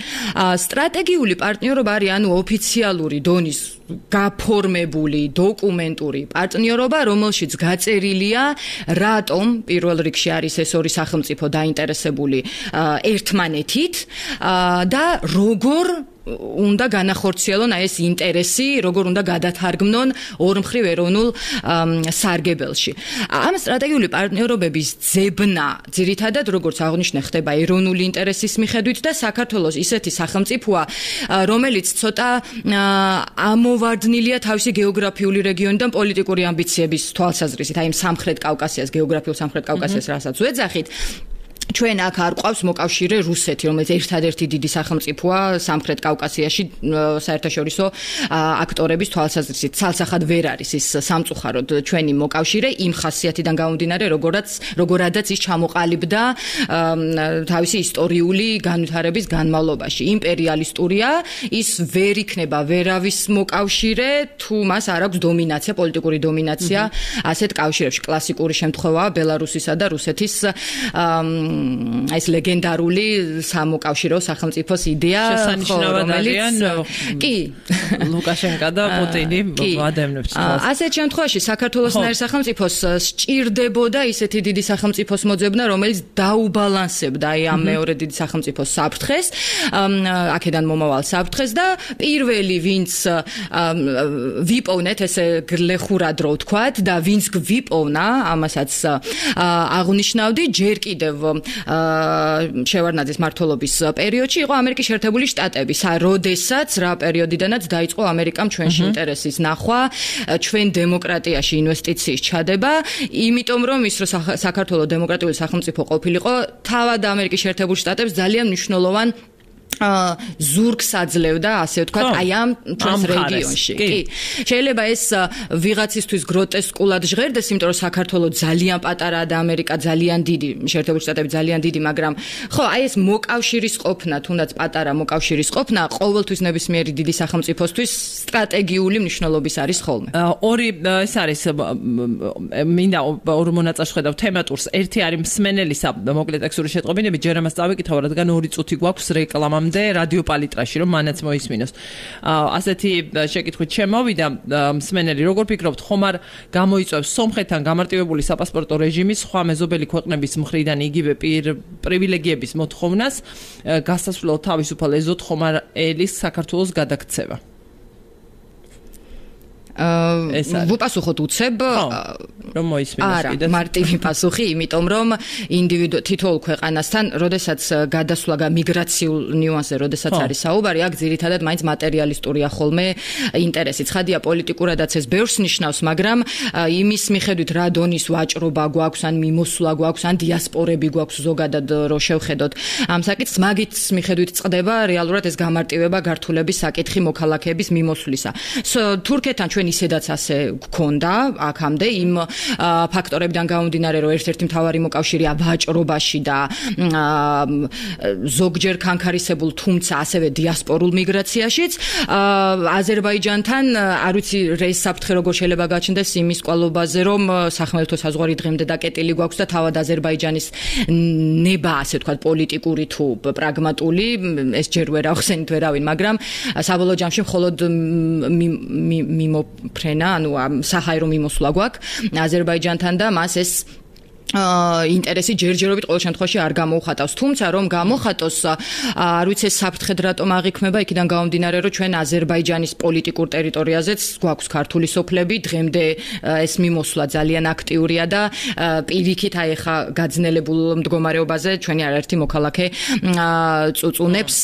სტრატეგიული პარტნიორობა არის ანუ ოფიციალური დონის გაფორმებული დოკუმენტური პარტნიორობა, რომელშიც გაწერილია, რატომ პირველ რიგში არის ეს ორი სახელმწიფო დაინტერესებული ერთმანეთით და როგორ უნდა განახორციელონ ეს ინტერესი, როგორ უნდა გადათარგმნონ ორმხრივ ეროვნულ სარგებელში. ამ სტრატეგიული პარტნიორობების ძებნა ძირითადად, როგორც აღნიშნე, ხდება ეროვნული ინტერესის მიხედვით და საქართველოს ისეთი სახელმწიფოა, რომელიც ცოტა ამოვარდნილია თავისი გეოგრაფიული რეგიონიდან პოლიტიკური ამბიციების თვალსაზრისით, აი სამხრეთ კავკასიას, გეოგრაფიულ სამხრეთ კავკასიას, რასაც ვეძახით. ჩვენ აქ არ ყავს მოკავშირე რუსეთი, რომელიც ერთადერთი დიდი სახელმწიფოა სამხრეთ კავკასიაში საერთაშორისო აქტორების თვალსაზრისით. ცალსახად ვერ არის ის სამწუხაროდ ჩვენი მოკავშირე იმ ხასიათიდან გამომდინარე, როგორადაც ის ჩამოყალიბდა თავისი ისტორიული განვითარების განმავლობაში. იმპერიალისტურია, ის ვერ იქნება ვერავის მოკავშირე, თუ მას არ აქვს დომინაცია, პოლიტიკური დომინაცია ასეთ კავშირებში. კლასიკური შემთხვევაა ბელარუსისა და რუსეთის ეს ლეგენდარული სამოკავშირეო სახელმწიფოს იდეა, რომელიც კი ლუკაშენკა და პუტინი ვადევნებთ. ასეთ შემთხვევაში საქართველოსნაირ სახელმწიფოს სჭირდებოდა ისეთი დიდი სახელმწიფოს მოძებნა, რომელიც დაუბალანსებდა აი ამ მეორე დიდი სახელმწიფოს საფრთხეს, აქედან მომავალ საფრთხეს და პირველი, ვინც ვიპოვნეთ, ესე გლეხურად რო ვთქვათ და ვინც გვიპოვნა, ამასაც აღნიშნავდი, ჯერ კიდევ შევარდნაძის მმართველობის პერიოდში იყო ამერიკის შეერთებული შტატები, როდესაც რა პერიოდიდანაც დაიწყო ამერიკამ ჩვენში ინტერესის ნახვა, ჩვენ დემოკრატიაში ინვესტიციის ჩადება, იმიტომ რომ ის რომ საქართველოს დემოკრატიული სახელმწიფო ყოფილიყო, თავად ამერიკის შეერთებული შტატებს ძალიან მნიშვნელოვან ზურგს აძლევდა, ასე ვთქვათ, აი ამ ჩვენს რეგიონში. კი. შეიძლება ეს ვიღაცისთვის გროტესკულად ჟღერდეს, იმიტომ რომ საქართველოს ძალიან პატარაა და ამერიკა ძალიან დიდი, შეერთებული შტატები ძალიან დიდი, მაგრამ ხო, აი ეს მოკავშირის ყოფნა, თუნდაც პატარა მოკავშირის ყოფნა, ყოველთვის ნებისმიერი დიდი სახელმწიფოსთვის სტრატეგიული მნიშვნელობის არის ხოლმე. ორი ეს არის მინდა ორ მონაწილეს ხედავ თემატურს. ერთი არის მსმენელისა მოკლე ტექსტური შეტყობინები, ჯერ ამას წავიკითხავ, რადგან 2 წუთი გვაქვს რეკლამა რადიო პალიტრაში, რომ მანაც მოისმინოს. ასეთი შეკითხვით შემოვიდა მსმენელი, როგორ ფიქრობთ, ხომ არ გამოიწვევს სომხეთთან გამარტივებული საპასპორტო რეჟიმის სხვა მეზობელი ქვეყნების მხრიდან იგივე პრივილეგიების მოთხოვნას გასასვლელად თავისუფალ ეზოთ ხომ არ ელის საქართველოს გადაქცევა? ვუპასუხოთ უცებ რომ მოისმინოს კიდე. არა, მარტივი პასუხი, იმიტომ რომ თითოეულ ქვეყანასთან, როდესაც გადასვლა მიგრაციულ ნიუანსზე, როდესაც არის საუბარი, აქ ძირითადად მაინც მატერიალისტურია ხოლმე ინტერესი. ცხადია, პოლიტიკურადაც ეს ბევრს ნიშნავს, მაგრამ იმის მიხედვით რა დონის ვაჭრობა გვაქვს, ან მიმოსვლა გვაქვს, ან დიასპორები გვაქვს ზოგადად რო შევხედოთ ამ საკითხს, მაგით მიხედვით წყდება რეალურად ეს გამარტივება გართულების საკითხი მოქალაქეების მიმოსვლისა. თურქეთთან ჩვენ ისედაც ასე გქონდა აქამდე იმ ფაქტორებიდან გამომდინარე, რომ ერთ-ერთი მთავარი მოკავშირეა ვაჭრობაში და ზოგჯერ კანკარისებულ, თუმცა ასევე დიასპორულ მიგრაციაშიც. აზერბაიჯანთან არ ვიცი რეის საფრთხე როგორ შეიძლება გაჩნდეს იმის კვალობაზე, რომ სახმელეთო საზღვარი დღემდე დაკეტილი გვაქვს და თავად აზერბაიჯანის ნება, ასე ვთქვათ, პოლიტიკური თუ პრაგმატული, ეს ჯერ ვერ ახსენით ვერავინ, მაგრამ საბოლოო ჯამში მხოლოდ მიმოფრენა, ანუ საჰაერო მიმოსვლა გვაქვს აზერბაიჯანთან და მას ეს ინტერესი ჯერჯერობით ყოველ შემთხვევაში არ გამოუხატავს. თუმცა რომ გამოხატოს, არ ვიცი საფრთხედ რატომ აღიქმება, იქიდან გამომდინარე, რომ ჩვენ აზერბაიჯანის პოლიტიკურ ტერიტორიაზეც გვაქვს ქართული სოფლები, დღემდე ეს მიმოსვლა ძალიან აქტიურია და პირიქით აი ხა გაძნელებულ მდგომარეობაზე ჩვენი არაერთი მოქალაქე წუწუნებს,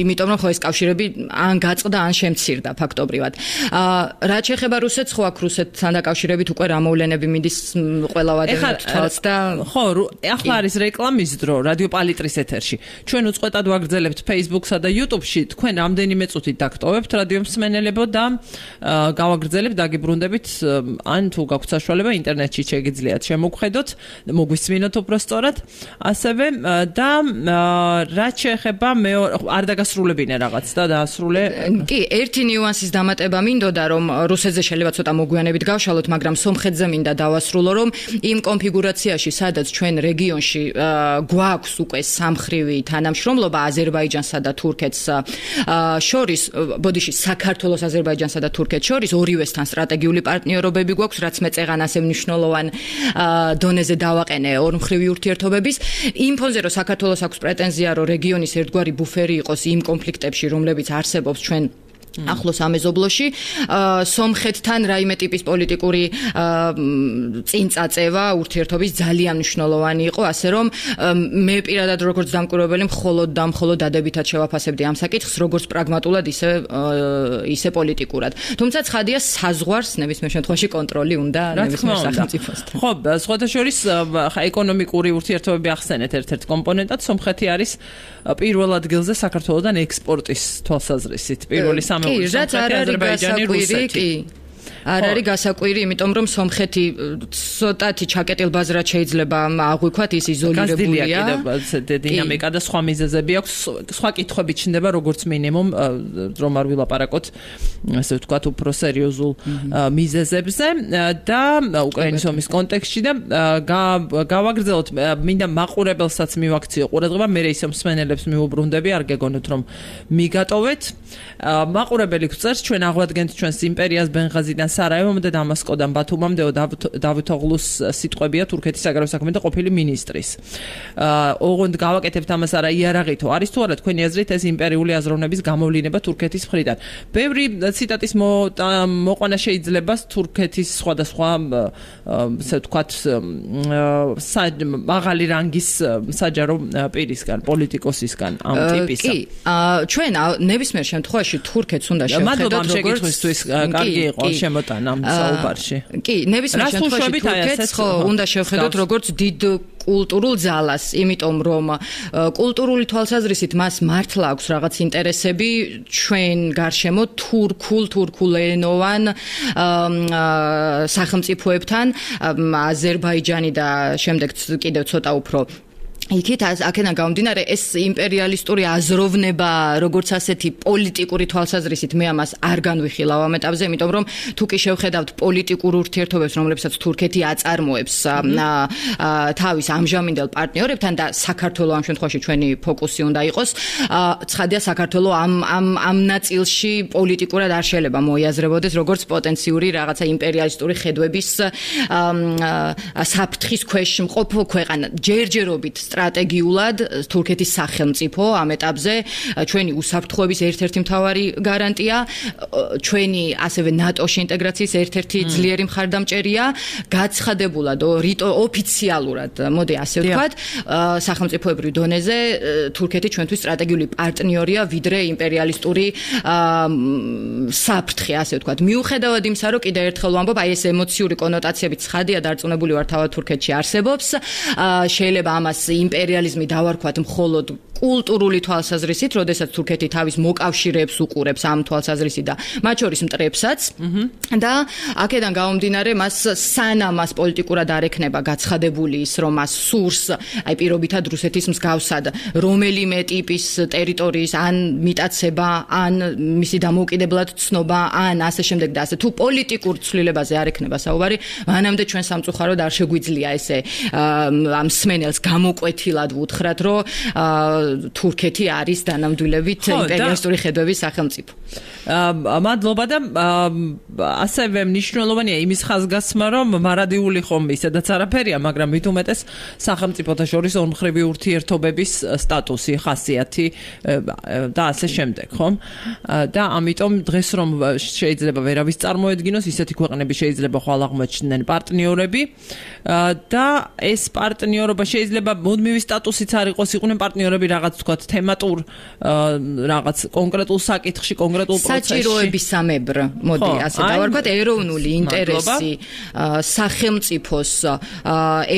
იმიტომ რომ ხო ეს კავშირები ან გაწყდა, ან შემცირდა ფაქტობრივად. რაც შეეხება რუსეთს, ხო აქ რუსეთთან დაკავშირებით უკვე რა მოვლენები მიდის ყველა ვადებით თვალს და ხო, ახლა არის რეკლამის დრო რადიო პალიტრის ეთერში. ჩვენ უწყვეტად ვაგრძელებთ Facebook-სა და YouTube-ში, თქვენ რამდენიმე წუთით დაგტოვებთ რადიო მსმენელებო და გავაგრძელებთ, დაგიბრუნდებით, ან თუ გაქვთ საშუალება ინტერნეტში შეგიძლიათ შემოგხედოთ, მოგვისმინოთ უბრალოდ, ასევე და რაც შეეხება არ დაგასრულებინე რაღაც და დაასრულე. კი, ერთი ნიუანსის დამატება მინდოდა, რომ რუსეთზე შეიძლება ცოტა მოგვიანებით გავშალოთ, მაგრამ სომხეთზე მინდა დავასრულო, რომ იმ კონფიგურაციაში, სადაც ჩვენ რეგიონში გვაქვს უკვე სამხრივი თანამშრომლობა აზერბაიჯანსა და თურქეთს შორის, ბოდიში საქართველოს აზერბაიჯანსა და თურქეთს შორის ორივესთან სტრატეგიული პარტნიორობები გვაქვს, რაც მე წეღან ასე მნიშვნელოვან დონეზე დავაყენე ორმხრივი ურთიერთობების. იმ ფონზე, რომ საქართველოს აქვს პრეტენზია, რომ რეგიონის ერთგვარი ბუფერი იყოს იმ კონფლიქტებში, რომლებიც არსებობს ჩვენ ახლოს ამეზობლოში, სომხეთთან რაიმე ტიპის პოლიტიკური წინწაწევა ურთიერთობის ძალიან მნიშვნელოვანი იყო, ასე რომ მე პირადად როგორც დამკვირვებელი მხოლოდ დადებითად შევაფასებდი ამ საკითხს, როგორც პრაგმატულად, ისე პოლიტიკურად. თუმცა ცხადია, საზღვარს ნებისმიერ შემთხვევაში კონტროლი უნდა ნებისმიერ სახელმწიფოსთან. ხო, სხვადასხვა ეკონომიკური ურთიერთობები ახსენეთ ერთ-ერთ კომპონენტად, სომხეთი არის პირველ ადგილზე საქართველოსთან ექსპორტის თვალსაზრისით, პირველი კი, რაც არ არის გასაკვირი, კი. არ არის გასაკვირი, იმიტომ რომ სომხეთი ცოტათი ჩაკეტილ ბაზრად შეიძლება აღვიქვათ, ის იზოლირებულია. დინამიკა და სხვა მიზეზები აქვს, სხვა კითხვები ჩნდება, როგორც მინიმუმ, რომ არ ვილაპარაკოთ, ასე ვთქვათ, უფრო სერიოზულ მიზეზებზე და უკრაინის ომის კონტექსტში და გავაგრძელოთ, მინდა მაყურებელსაც მივაქციო ყურადღება, მე ისე მსმენელებს მივუბრუნდები, არ გეგონოთ რომ მიგატოვეთ. მაყურებელი გვწერს, ჩვენ აღვადგენთ ჩვენს იმპერიას ბენღაზიდან სარაევომდე და დამასკოდან ბათუმამდე დავით ოღლუს სიტყვებია თურქეთის საგარეო საქმეთა ყოფილი მინისტრის. ოღონდ გავაკეთებთ ამას არა იარაღითო, არის თუ არა თქვენი აზრით ეს იმპერიული აზროვნების გამოვლინება თურქეთის მხრიდან. ბევრი ციტატის მოყვანა შეიძლება თურქეთის სხვადასხვა, ასე ვთქვათ, მაღალი რანგის საჯარო პირისგან, პოლიტიკოსისგან, ამ ტიპისა. კი, ჩვენ ნებისმიერ შემთხვევაში თურქეთს უნდა შევხედოთ როგორც კარგი იყო შემოტანა ამ საუბარში. კი, ნებისმიერ შემთხვევაში თურქეთს ხო უნდა შევხედოთ როგორც დიდ კულტურულ ძალას, იმიტომ რომ კულტურული თვალსაზრისით მას მართლა აქვს რაღაც ინტერესები ჩვენ გარშემო თურქულენოვან სახელმწიფოებთან, აზერბაიჯანი და შემდეგ კიდევ ცოტა უფრო იქით აქედან გამომდინარე ეს იმპერიალისტური აზროვნება როგორც ასეთი პოლიტიკური თვალსაზრისით მე ამას არ განვიხილავ ამ ეტაპზე, იმიტომ რომ თუ კი შევხედავთ პოლიტიკურ ურთიერთობებს, რომლებსაც თურქეთი აწარმოებს თავის ამჟამინდელ პარტნიორებთან და საქართველოს ამ შემთხვევაში ჩვენი ფოკუსი უნდა იყოს, ცხადია საქართველოს ამ ნაწილში პოლიტიკურად არ შეიძლება მოიაზრებოდეს როგორც პოტენციური რაღაცა იმპერიალისტური ხედვების საფრთხის ქვეშ მყოფ ქვეყანა. ჯერჯერობით სტრატეგიულად თურქეთის სახელმწიფო ამ ეტაპზე ჩვენი უსაფრთხოების ერთ-ერთი მთავარი გარანტია, ჩვენი ასევე ნატოში ინტეგრაციის ერთ-ერთი ძლიერი მხარდამჭერია, გაცხადებულად ოფიციალურად, მოდი ასე ვთქვათ, სახელმწიფოებრივ დონეზე თურქეთი ჩვენთვის სტრატეგიული პარტნიორია, ვიდრე იმპერიალისტური საფრთხე, ასე ვთქვათ. მიუხედავად იმისა, რომ კიდევ ერთხელ ვამბობ, აი ეს ემოციური კონოტაციები ცხადია დარწმუნებული ვარ თავად თურქეთში არსებობს. შეიძლება ამას იმპერიალიზმი დავარქვათ მხოლოდ კულტურული თვალსაზრისით, როდესაც თურქეთი თავის მოკავშირეებს უყურებს ამ თვალსაზრისით და მათ შორის მტრებსაც და აქედან გამომდინარე მას სანამ მას პოლიტიკურად არ ექნება გაცხადებული ის, რომ მას სურს აი პირობითად რუსეთის მსგავსად რომელიმე ტიპის ტერიტორიის ან მიტაცება, ან მისი დამოუკიდებლად ცნობა, ან ასე შემდეგ და ასე თუ პოლიტიკურ ცვლილებაზე არ ექნება საუბარი, მანამდე ჩვენ სამწუხაროდ არ შეგვიძლია ესე ამ სმენელს გამოკვეთილად ვუთხრათ, რომ თურქეთი არის დანამდვილებით იმპერიალისტური ხედვების სახელმწიფო. მადლობა და ასევე მნიშვნელოვანია იმის ხაზგასმა, რომ მარადიული ხომ ისედაც არაფერია, მაგრამ მით უმეტეს სახელმწიფოთა შორის ორმხრივი ურთიერთობების სტატუსი, ხასიათი და ასე შემდეგ, ხომ? და ამიტომ დღეს რომ შეიძლება ვერავის წარმოედგინოს, ისეთი ქვეყნები შეიძლება ხვალ აღმოჩნდნენ პარტნიორები და ეს პარტნიორობა შეიძლება მუდმივი სტატუსიც არ იყოს, იყვნენ პარტნიორები რაღაც თქვათ თემატურ რაღაც კონკრეტულ საკითხში, კონკრეტულ პროცესში. საჭიროებისამებრ, მოდი ასე დავარქვათ, ეროვნული ინტერესი სახელმწიფოს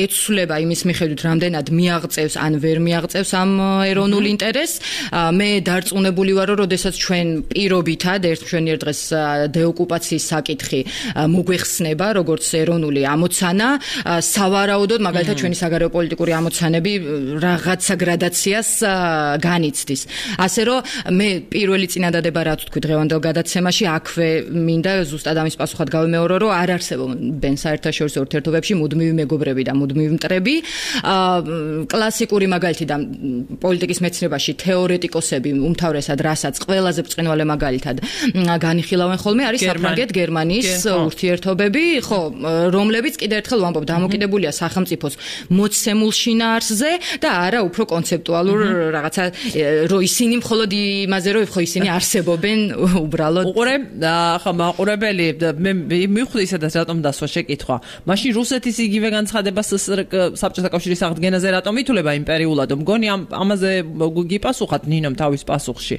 ეცვლება იმის მიხედვით, რამდენად მიაღწევს ან ვერ მიაღწევს ამ ეროვნულ ინტერესს. მე დარწმუნებული ვარ, რომ როდესაც ჩვენ პირობითად ჩვენი ერთ დღეს დეოკუპაციის საკითხი მოგვეხსნება, როგორც ეროვნული ამოცანა, სავარაუდოდ მაგალითად ჩვენი საგარეო პოლიტიკური ამოცანები რაღაცა გრადაციას განიცდის. ასე რომ მე პირველი წინადადება რა თქვი დღევანდელ გადაცემაში, აქვე მინდა ზუსტად ამის პასუხად გავიმეორო, რომ არ არსებობენ საერთაშორისო ურთიერთობებში მუდმივი მეგობრები და მუდმივი მტრები. კლასიკური მაგალითი და პოლიტიკის მეცნიერებაში თეორეტიკოსები უმთავრესად რასაც ყველაზე ბრწყინვალე მაგალითად განიხილავენ ხოლმე არის საფრანგეთ-გერმანიის ურთიერთობები, ხო, რომლებიც კიდევ ერთხელ ვამბობ, დამოკიდებულია სახელმწიფოს მოცემულ შინაარსზე და არა უფრო კონცეპტუალურ რაღაცა, რომ ისინი მხოლოდ იმაზე, რომ ხო ისინი არსებობენ უბრალოდ. უყურე, ხა მაყურებელი, მე მივხვდი სადაც რატომ დასვა შეკითხვა. მაშინ რუსეთის იგივე განცხადებას საბჭოთა კავშირის აღდგენაზე რატომ ითვლება იმპერიულად? მგონი ამაზე გიპასუხათ ნინომ თავის პასუხში.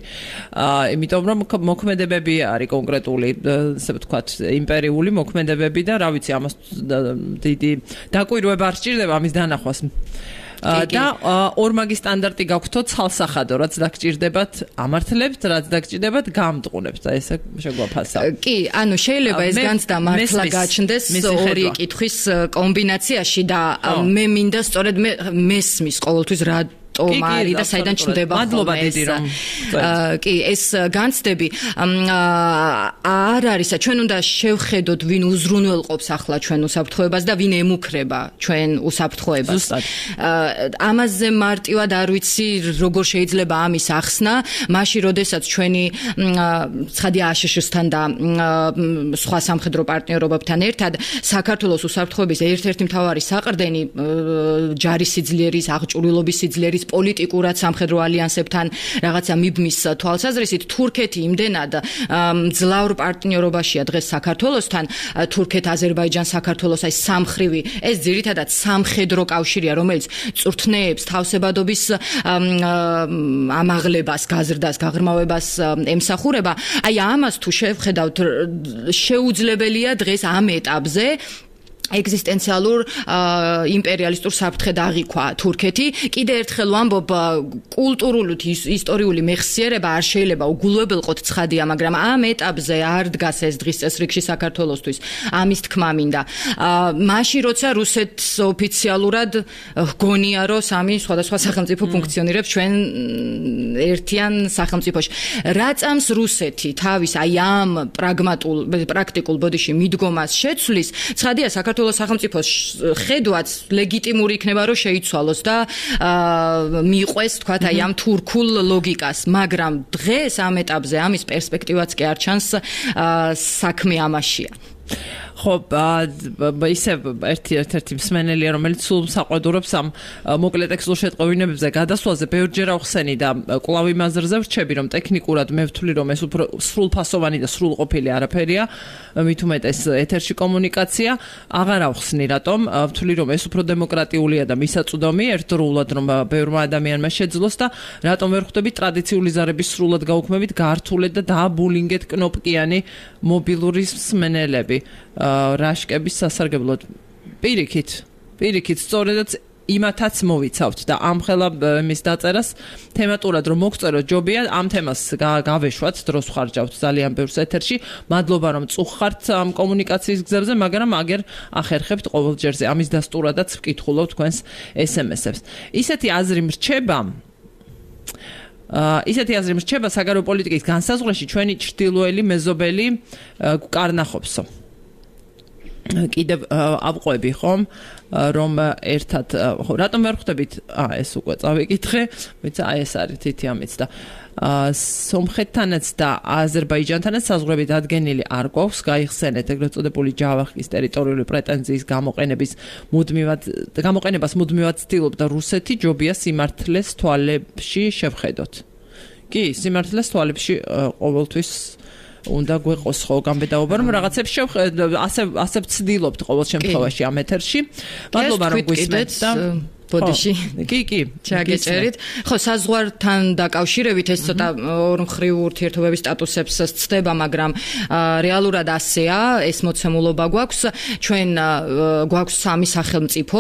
იმიტომ რომ მოქმედებები არის კონკრეტული, ასე ვთქვათ, იმპერიული მოქმედებები და რა ვიცი, ამას დიდი დაკვირვება არ სჭირდება ამის დანახვას. და ორმაგი სტანდარტი გაქვთო ცალსახადო, რაც დაგჭირდებათ ამართლებთ, რაც დაგჭირდებათ გამტყუნებთ. და ესე შეგვაფასა. კი, ანუ შეიძლება ეს განცდა მართლა გაჩნდეს ორი კითხვის კომბინაციაში და მე მინდა სწორედ მესმის ყოველთვის რა ტომარი და საიდან ჩნდება მადლობა დიდი რომ კი ეს განცდები არ არის ჩვენ უნდა შევხედოთ ვინ უზრუნველყოფს ახლა ჩვენ უსაფრთხოებას და ვინ ემუქრება ჩვენ უსაფრთხოებას ამაზე მარტივად არ ვიცი როგორ შეიძლება ამის ახსნა მაშინ როდესაც ჩვენი ცხადია აშშ-სთან და სხვა სამხედრო პარტნიორობებთან ერთად საქართველოს უსაფრთხოების ერთ-ერთი მთავარი საყრდენი ჯარის სიძლიერის აღჭურვილობის სიძლიერის პოლიტიკურად სამხედრო ალიანსებთან რაღაცა მიბმის თვალსაზრისით თურქეთი იმდენად მძლავრ პარტნიორობაშია დღეს საქართველოსთან თურქეთ-აზერბაიჯან საქართველოს აი სამხრივი ეს ძირითადად სამხედრო კავშირია რომელიც წვრთნეებს თავსებადობის ამაღლებას გაზრდას გაღრმავებას ემსახურება აი ამას თუ შევხედავთ შეუძლებელია დღეს ამ ეტაპზე ეგზისტენციალურ იმპერიალისტურ საფრთხედ აღიქვა თურქეთი. კიდე ერთხელ ვამბობ, კულტურული ისტორიული მეხსიერება არ შეიძლება უგულებელყოთ ცხადია, მაგრამ ამ ეტაპზე არ დგას ეს დღის წესრიგში საქართველოსთვის. ამის თქმა მინდა. მაშინ როცა რუსეთს ოფიციალურად გონია, რომ სამი სხვადასხვა სახელმწიფო ფუნქციონირებს ჩვენ ერთიან სახელმწიფოში. რა წამს რუსეთი თავის აი ამ პრაქტიკულ ბოდიში მიდგომას შეცვლის, ცხადია საქართველოს სახელმწიფოს ხედვაც ლეგიტიმური იქნება რომ შეიცვალოს და მიყვეს თქვათ აი ამ თურქულ ლოგიკას, მაგრამ დღეს ამ ეტაპზე ამის პერსპექტივაც კი არ ჩანს საქმე ამაშია. ხო, ისე ერთ-ერთი მსმენელია, რომელიც სულ საყვედურობს ამ მოკლე ტექსტურ შეტყობინებებზე გადასვლაზე, ბევრჯერ ახსენი და კვლავ იმაზრზე ვრჩები, რომ ტექნიკურად მე ვთვლი, რომ ეს უფრო სრულფასოვანი და სრულყოფილი არაფერია, მით უმეტეს ეთერში კომუნიკაცია, აღარ ახსნი, რატომ ვთვლი, რომ ეს უფრო დემოკრატიულია და მისაწვდომი ერთდროულად, რომ ბევრმა ადამიანმა შეძლოს და რატომ ვერ ხვდები ტრადიციული ზარების სრულად გაუქმებით გართულეთ და დააბულინგეთ კნოპკიანი მობილური მსმენელები რაშკების სასარგებლოდ. პირიქით, სწორედაც იმათაც მოვიცავთ და ამხელა მის დაწერას თემატურად რომ მოგწეროთ ჯობია ამ თემას გავეშვათ, დროს ხარჯავთ ძალიან ბევრს ეთერში. მადლობა რომ წუხართ ამ კომუნიკაციის გზებზე, მაგრამ აგერ ახერხებთ ყოველ ჯერზე. ამის დასტურადაც ვკითხულობ თქვენს SMS-ებს. ისეთი აზრი მრჩება საგარეო პოლიტიკის განსაზღვრაში ჩვენი ჩრდილოელი მეზობელი კარნახობსო. კიდევ ავყვები ხომ რომ ერთად რატომ ვერ ხვდებით ეს უკვე წავიკითხე მეც ეს არის თითი ამიც და სომხეთთანაც და აზერბაიჯანთანაც საზღვრები დადგენილი არ გვაქვს გაიხსენეთ ეგრეთ წოდებული ჯავახის ტერიტორიული პრეტენზიის გამოყენებას მუდმივად ცდილობდა რუსეთი ჯობია სიმართლეს თვალებში შევხედოთ კი სიმართლეს თვალებში ყოველთვის უნდა გვეყოს ხო გამბედაობა რომ რაღაცებს ასე ვცდილობთ ყოველ შემთხვევაში ამ ეთერში მადლობა რომ გვისმენთ და ბოდიში კი ჩაგეწერით ხო საზღვართან დაკავშირებით ეს ცოტა ორმხრივ ურთიერთობების სტატუსებს ცდება მაგრამ რეალურად ასეა ეს მოცემულობა გვაქვს ჩვენ გვაქვს სამი სახელმწიფო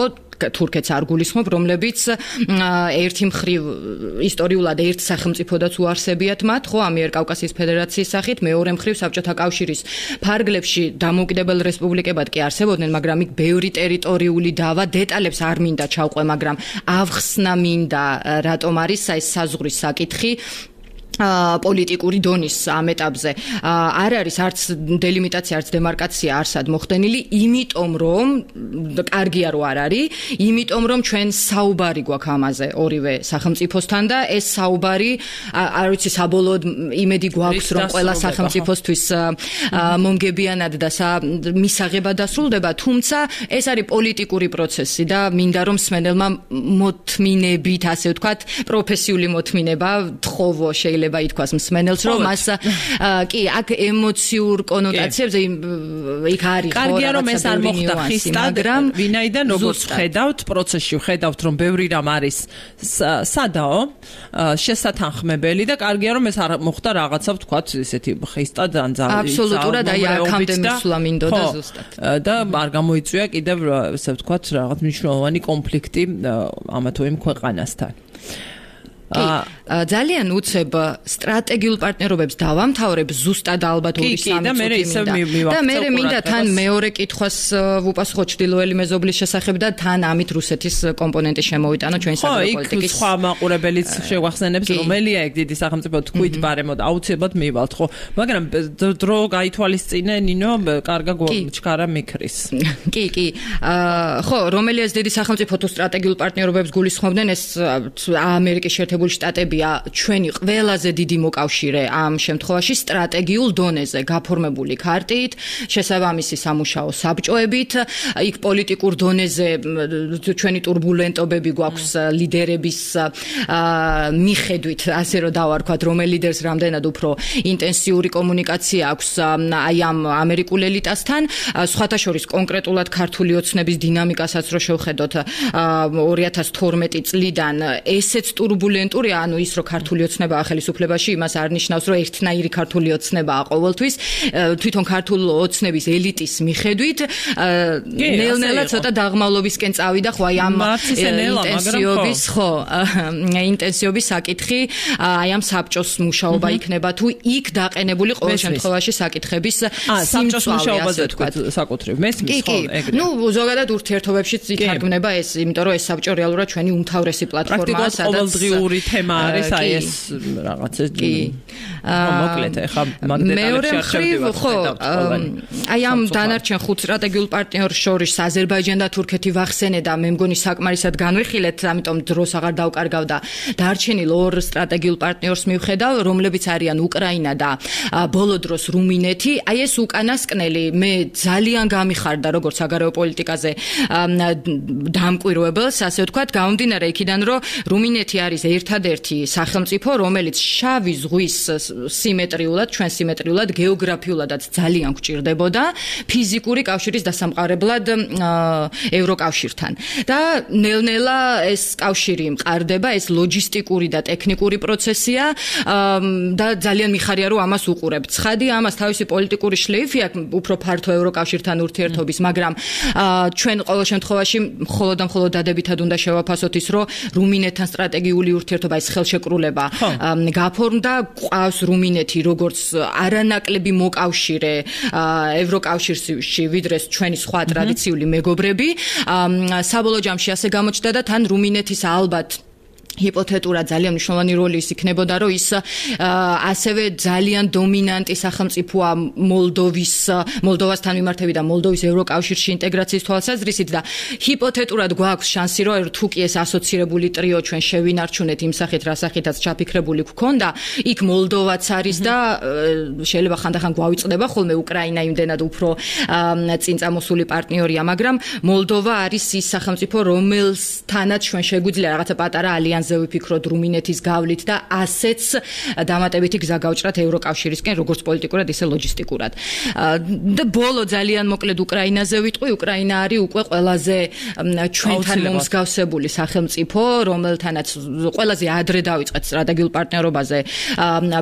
თურქეთს არ გულისხმობ, რომლებიც ერთი მხრივ ისტორიულად ერთ სახელმწიფოდაც უარსებიათ მათ, ხო, ამიერკავკასიის ფედერაციის სახით, მეორე მხრივ საბჭოთა კავშირის ფარგლებში დამოუკიდებელ რესპუბლიკებად კი არსებობდნენ, მაგრამ იქ ბევრი ტერიტორიული დავა, დეტალებს არ მინდა ჩავყვე, მაგრამ ავხსნა მინდა, რატომ არის ეს საზღვრის საკითხი. პოლიტიკური დონის ამ ეტაპზე არ არის არც დელიმიტაცია, არც დემარკაცია არსად მოხდენილი, იმიტომ რომ კარგია რომ არ არის, იმიტომ რომ ჩვენ საუბარი გვაქვს ამაზე ორივე სახელმწიფოსთან და ეს საუბარი არ ვიცი საბოლოოდ იმედი გვაქვს რომ ყველა სახელმწიფოსთვის მომგებიანად და მისაღებად დასრულდება, თუმცა ეს არის პოლიტიკური პროცესი და მინდა რომ მსმენელმა მოთმინებით, ასე ვთქვათ, პროფესიული მოთმინება თხოვო შეიძლება ითქვას მსმენელს რომ მას კი აქ ემოციურ კონოტაციებზე იქ არის კარგია რომ ეს არ მოხდა ხისტად ვინაიდან როგორც ხედავთ პროცესში ხედავთ რომ ბევრი რამ არის სადაო შესათანხმებელი და კარგია რომ ეს არ მოხდა რაღაცა ვთქვათ ესეთი ხისტად ან ძალიან აბსოლუტურად აი აქამდე მისვლა მინდოდა ზუსტად და არ გამოიწვია კიდევ ესე ვთქვათ რაღაც მნიშვნელოვანი კონფლიქტი ამა თუ იმ ქვეყანასთან ძალიან უცებ სტრატეგიულ პარტნიორობებს დავამთავრებ ზუსტად ალბათ 2-3 წუთი და მე მინდა თან მეორე კითხვას ვუპასუხო ჩრდილოელი მეზობლის შესახებ და თან ამით რუსეთის კომპონენტი შემოვიტანო ჩვენი საგარეო პოლიტიკის სხვა მაყურებელიც შეგვახსენებს რომელია ეგ დიდი სახელმწიფო თქვით ბარემოდ აუცილებლად მივალთ ხო მაგრამ დრო გაითვალისწინე ნინო კარგა ჩქარა მიქრის კი ხო რომელია ეს დიდი სახელმწიფო თუ სტრატეგიულ პარტნიორობებს გულისხმობდნენ ეს ამერიკის შეერთებული შტატებია ჩვენი ყველაზე დიდი მოკავშირე ამ შემთხვევაში სტრატეგიულ დონეზე გაფორმებული ქარტით, შესაბამისი სამუშაო საბჭოებით, იქ პოლიტიკურ დონეზე ჩვენი турბულენტობები გვაქვს ლიდერების მიხედვით, ასე რომ დავარქვათ, რომელ ლიდერს რამდენად უფრო ინტენსიური კომუნიკაცია აქვს აი ამ ამერიკულ ელიტასთან, სხვათა შორის კონკრეტულად ქართული ოცნების დინამიკასაც რო შევხედოთ 2012 წლიდან ესეც турბულენტურია, ანუ ის რომ ქართული ოცნებაა ხელისუფლებაში, იმას არ ნიშნავს, რომ ერთნაირი ქართული ოცნებაა ყოველთვის, თვითონ ქართული ოცნების ელიტის მიხედვით ნელ-ნელა ცოტა დაღმავლობისკენ წავიდა, ხო, აი ამ ინტენსიობის საკითხი, აი ამ საბჭოს მუშაობა იქნება თუ იქ დაყენებული ყოველ შემთხვევაში საკითხების სიმწვავე, ასე ვთქვათ, საკუთრივ მესმის ხო, ეგრე. ნუ ზოგადად ურთიერთობებშიც ითარგმნება ეს, იმიტომ რომ ეს საბჭო რეალურად ჩვენი უმთავრესი პლატფორმაა, სადაც ყოველდღიური თემა არის აი ეს რაღაცა მოკლედ ეხა მაგდეტალებში არჩევდივარ ხო აი ამ დანარჩენ ხუთ სტრატეგიულ პარტნიორს შორის აზერბაიჯანი და თურქეთი ვახსენე და მე მგონი საკმარისად განვიხილეთ, ამიტომ დროს აღარ დავკარგავ და დარჩენილ ორ სტრატეგიულ პარტნიორს მივხედავ, რომლებიც არიან უკრაინა და ბოლო დროს რუმინეთი. აი ეს უკანასკნელი მე ძალიან გამიხარდა როგორც საგარეო პოლიტიკაზე დამკვირვებელს, ასე ვთქვათ, გამომდინარე იქიდან, რომ რუმინეთი არის ერთადერთი სახელმწიფო, რომელიც შავი ზღვის სიმეტრიულად, ჩვენ სიმეტრიულად, გეოგრაფიულადაც ძალიან გვჭირდებოდა ფიზიკური კავშირის დასამყარებლად ევროკავშირთან. და ნელ-ნელა ეს კავშირი მყარდება, ეს ლოჯისტიკური და ტექნიკური პროცესია და ძალიან მიხარია, რომ ამას უყურებ. ცხადია, ამას თავისი პოლიტიკური შლეიფი აქვს უფრო ფართო ევროკავშირთან ურთიერთობის, მაგრამ ჩვენ ყოველ შემთხვევაში მხოლოდ დადებითად უნდა შევაფასოთ ის, რომ რუმინეთთან სტრატეგიული ურთიერთობა, ეს ხელშეკრულება გაფორმდა, ყავს რუმინეთი როგორც არანაკლები მოკავშირე ევროკავშირში, ვიდრე ჩვენი სხვა ტრადიციული მეგობრები. საბოლოო ჯამში ასე გამოჩნდა და თან რუმინეთის ალბათ ჰიპოთეტურად ძალიან მნიშვნელოვანი როლი ის იქნებოდა, რომ ის ასევე ძალიან დომინანტი სახელმწიფოა მოლდოვასთან მიმართებით და მოლდოვის ევროკავშირში ინტეგრაციის თვალსაზრისით და ჰიპოთეტურად გვაქვს შანსი, რომ თუ კი ეს ასოცირებული ტრიო ჩვენ შევინარჩუნეთ იმ სახით, რა სახითაც ჩაფიქრებული გვქონდა, იქ მოლდოვაც არის და შეიძლება ხანდახან გვავიწყდება ხოლმე უკრაინა იმდენად უფრო წინ წამოსული პარტნიორია, მაგრამ მოლდოვა არის ის სახელმწიფო, რომელთანაც ჩვენ შეგვიძლია რაღაცა პატარა ალიანსი ვიფიქროთ რუმინეთის გავლით და ასეც დამატებითი გზა გავჭრათ ევროკავშირისკენ, როგორც პოლიტიკურად, ისე ლოჯისტიკურად. და ბოლო ძალიან მოკლედ უკრაინაზე ვიტყვი, უკრაინა არის უკვე ყველაზე ჩვენთან მომსგავსებული სახელმწიფო, რომელთანაც ყველაზე ადრე დაიწყეთ სტრატეგიულ პარტნიორობაზე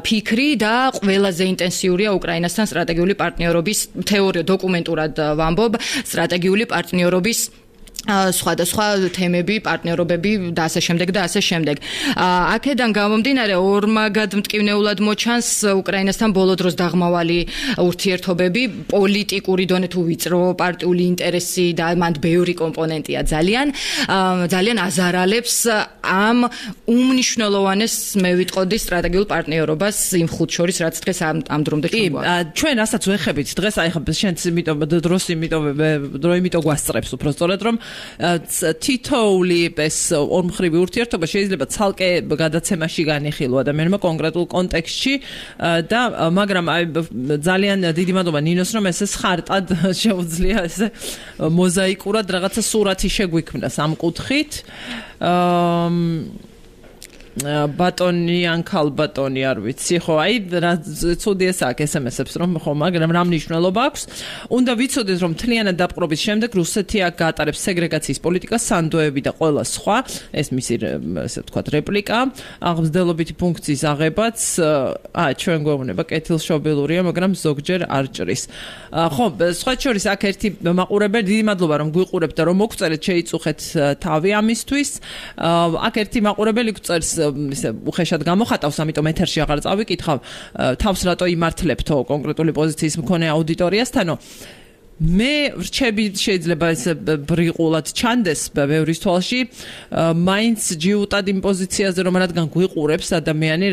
ფიქრი და ყველაზე ინტენსიურია უკრაინასთან სტრატეგიული პარტნიორობის თეორია დოკუმენტურად ვამბობ, სტრატეგიული პარტნიორობის სხვადასხვა თემები, პარტნიორობები და ასე შემდეგ და ასე შემდეგ. აქედან გამომდინარე ორმაგად მტკივნეულად მოჩანს უკრაინასთან ბოლო დროს დაღმავალი ურთიერთობები, პოლიტიკური დონე თუ ვიწრო პარტიული ინტერესი და მანდ ბევრი კომპონენტია ძალიან აზარალებს ამ უმნიშვნელოვანეს მე ვიტყოდი სტრატეგიულ პარტნიორობას იმ ხუთ შორის, რაც დღეს ამ დრომდე ჩვენგვაქვს. ჩვენ რასაც ვეხებით დღეს აი ხა შენც იმიტომ გვასწრებს უფრო სწორად რომ თითოეული ეს ორმხრივი ურთიერთობა შეიძლება ცალკე გადაცემაში განიხილო ადამიანმა კონკრეტულ კონტექსტში და მაგრამ აი ძალიან დიდი მადლობა ნინოს რომ ესე ხარტად შეუძლია ესე მოზაიკურად რაღაცა სურათი შეგვიქმნას ამ კუთხით ბატონი ან ქალბატონი არ ვიცი ხო აი რა ცუდი ეს აქ SMS-ებს რომ ხო მაგრამ რა მნიშვნელობა აქვს უნდა ვიცოდეთ რომ მთლიანად დაპყრობის შემდეგ რუსეთი აქ გაატარებს სეგრეგაციის პოლიტიკას სანდოები და ყველა სხვა ეს მისი ესე ვთქვათ რეპლიკა აღმსდელობითი ფუნქციის აღებაც ჩვენ გვეუბნება კეთილშობილურია მაგრამ ზოგჯერ არ ჭრის ხო სხვა შორის აქ ერთი მაყურებელი დიდი მადლობა რომ გვიყურებთ და რომ მოგწერეთ შეიწუხეთ თავი ამისთვის აქ ერთი მაყურებელი გვწერს ისე უხეშად გამოხატავს, ამიტომ ეთერში აღარ წავიკითხავ, თავს რატო იმართლებთო კონკრეტული პოზიციის მქონე აუდიტორიასთანო. მე რჩები შეიძლება ეს ბრიყულად ჩანდეს ბევრის თვალში, მაინც ჯიუტად იმ პოზიციაზე რომ რადგან გვიყურებს ადამიანი,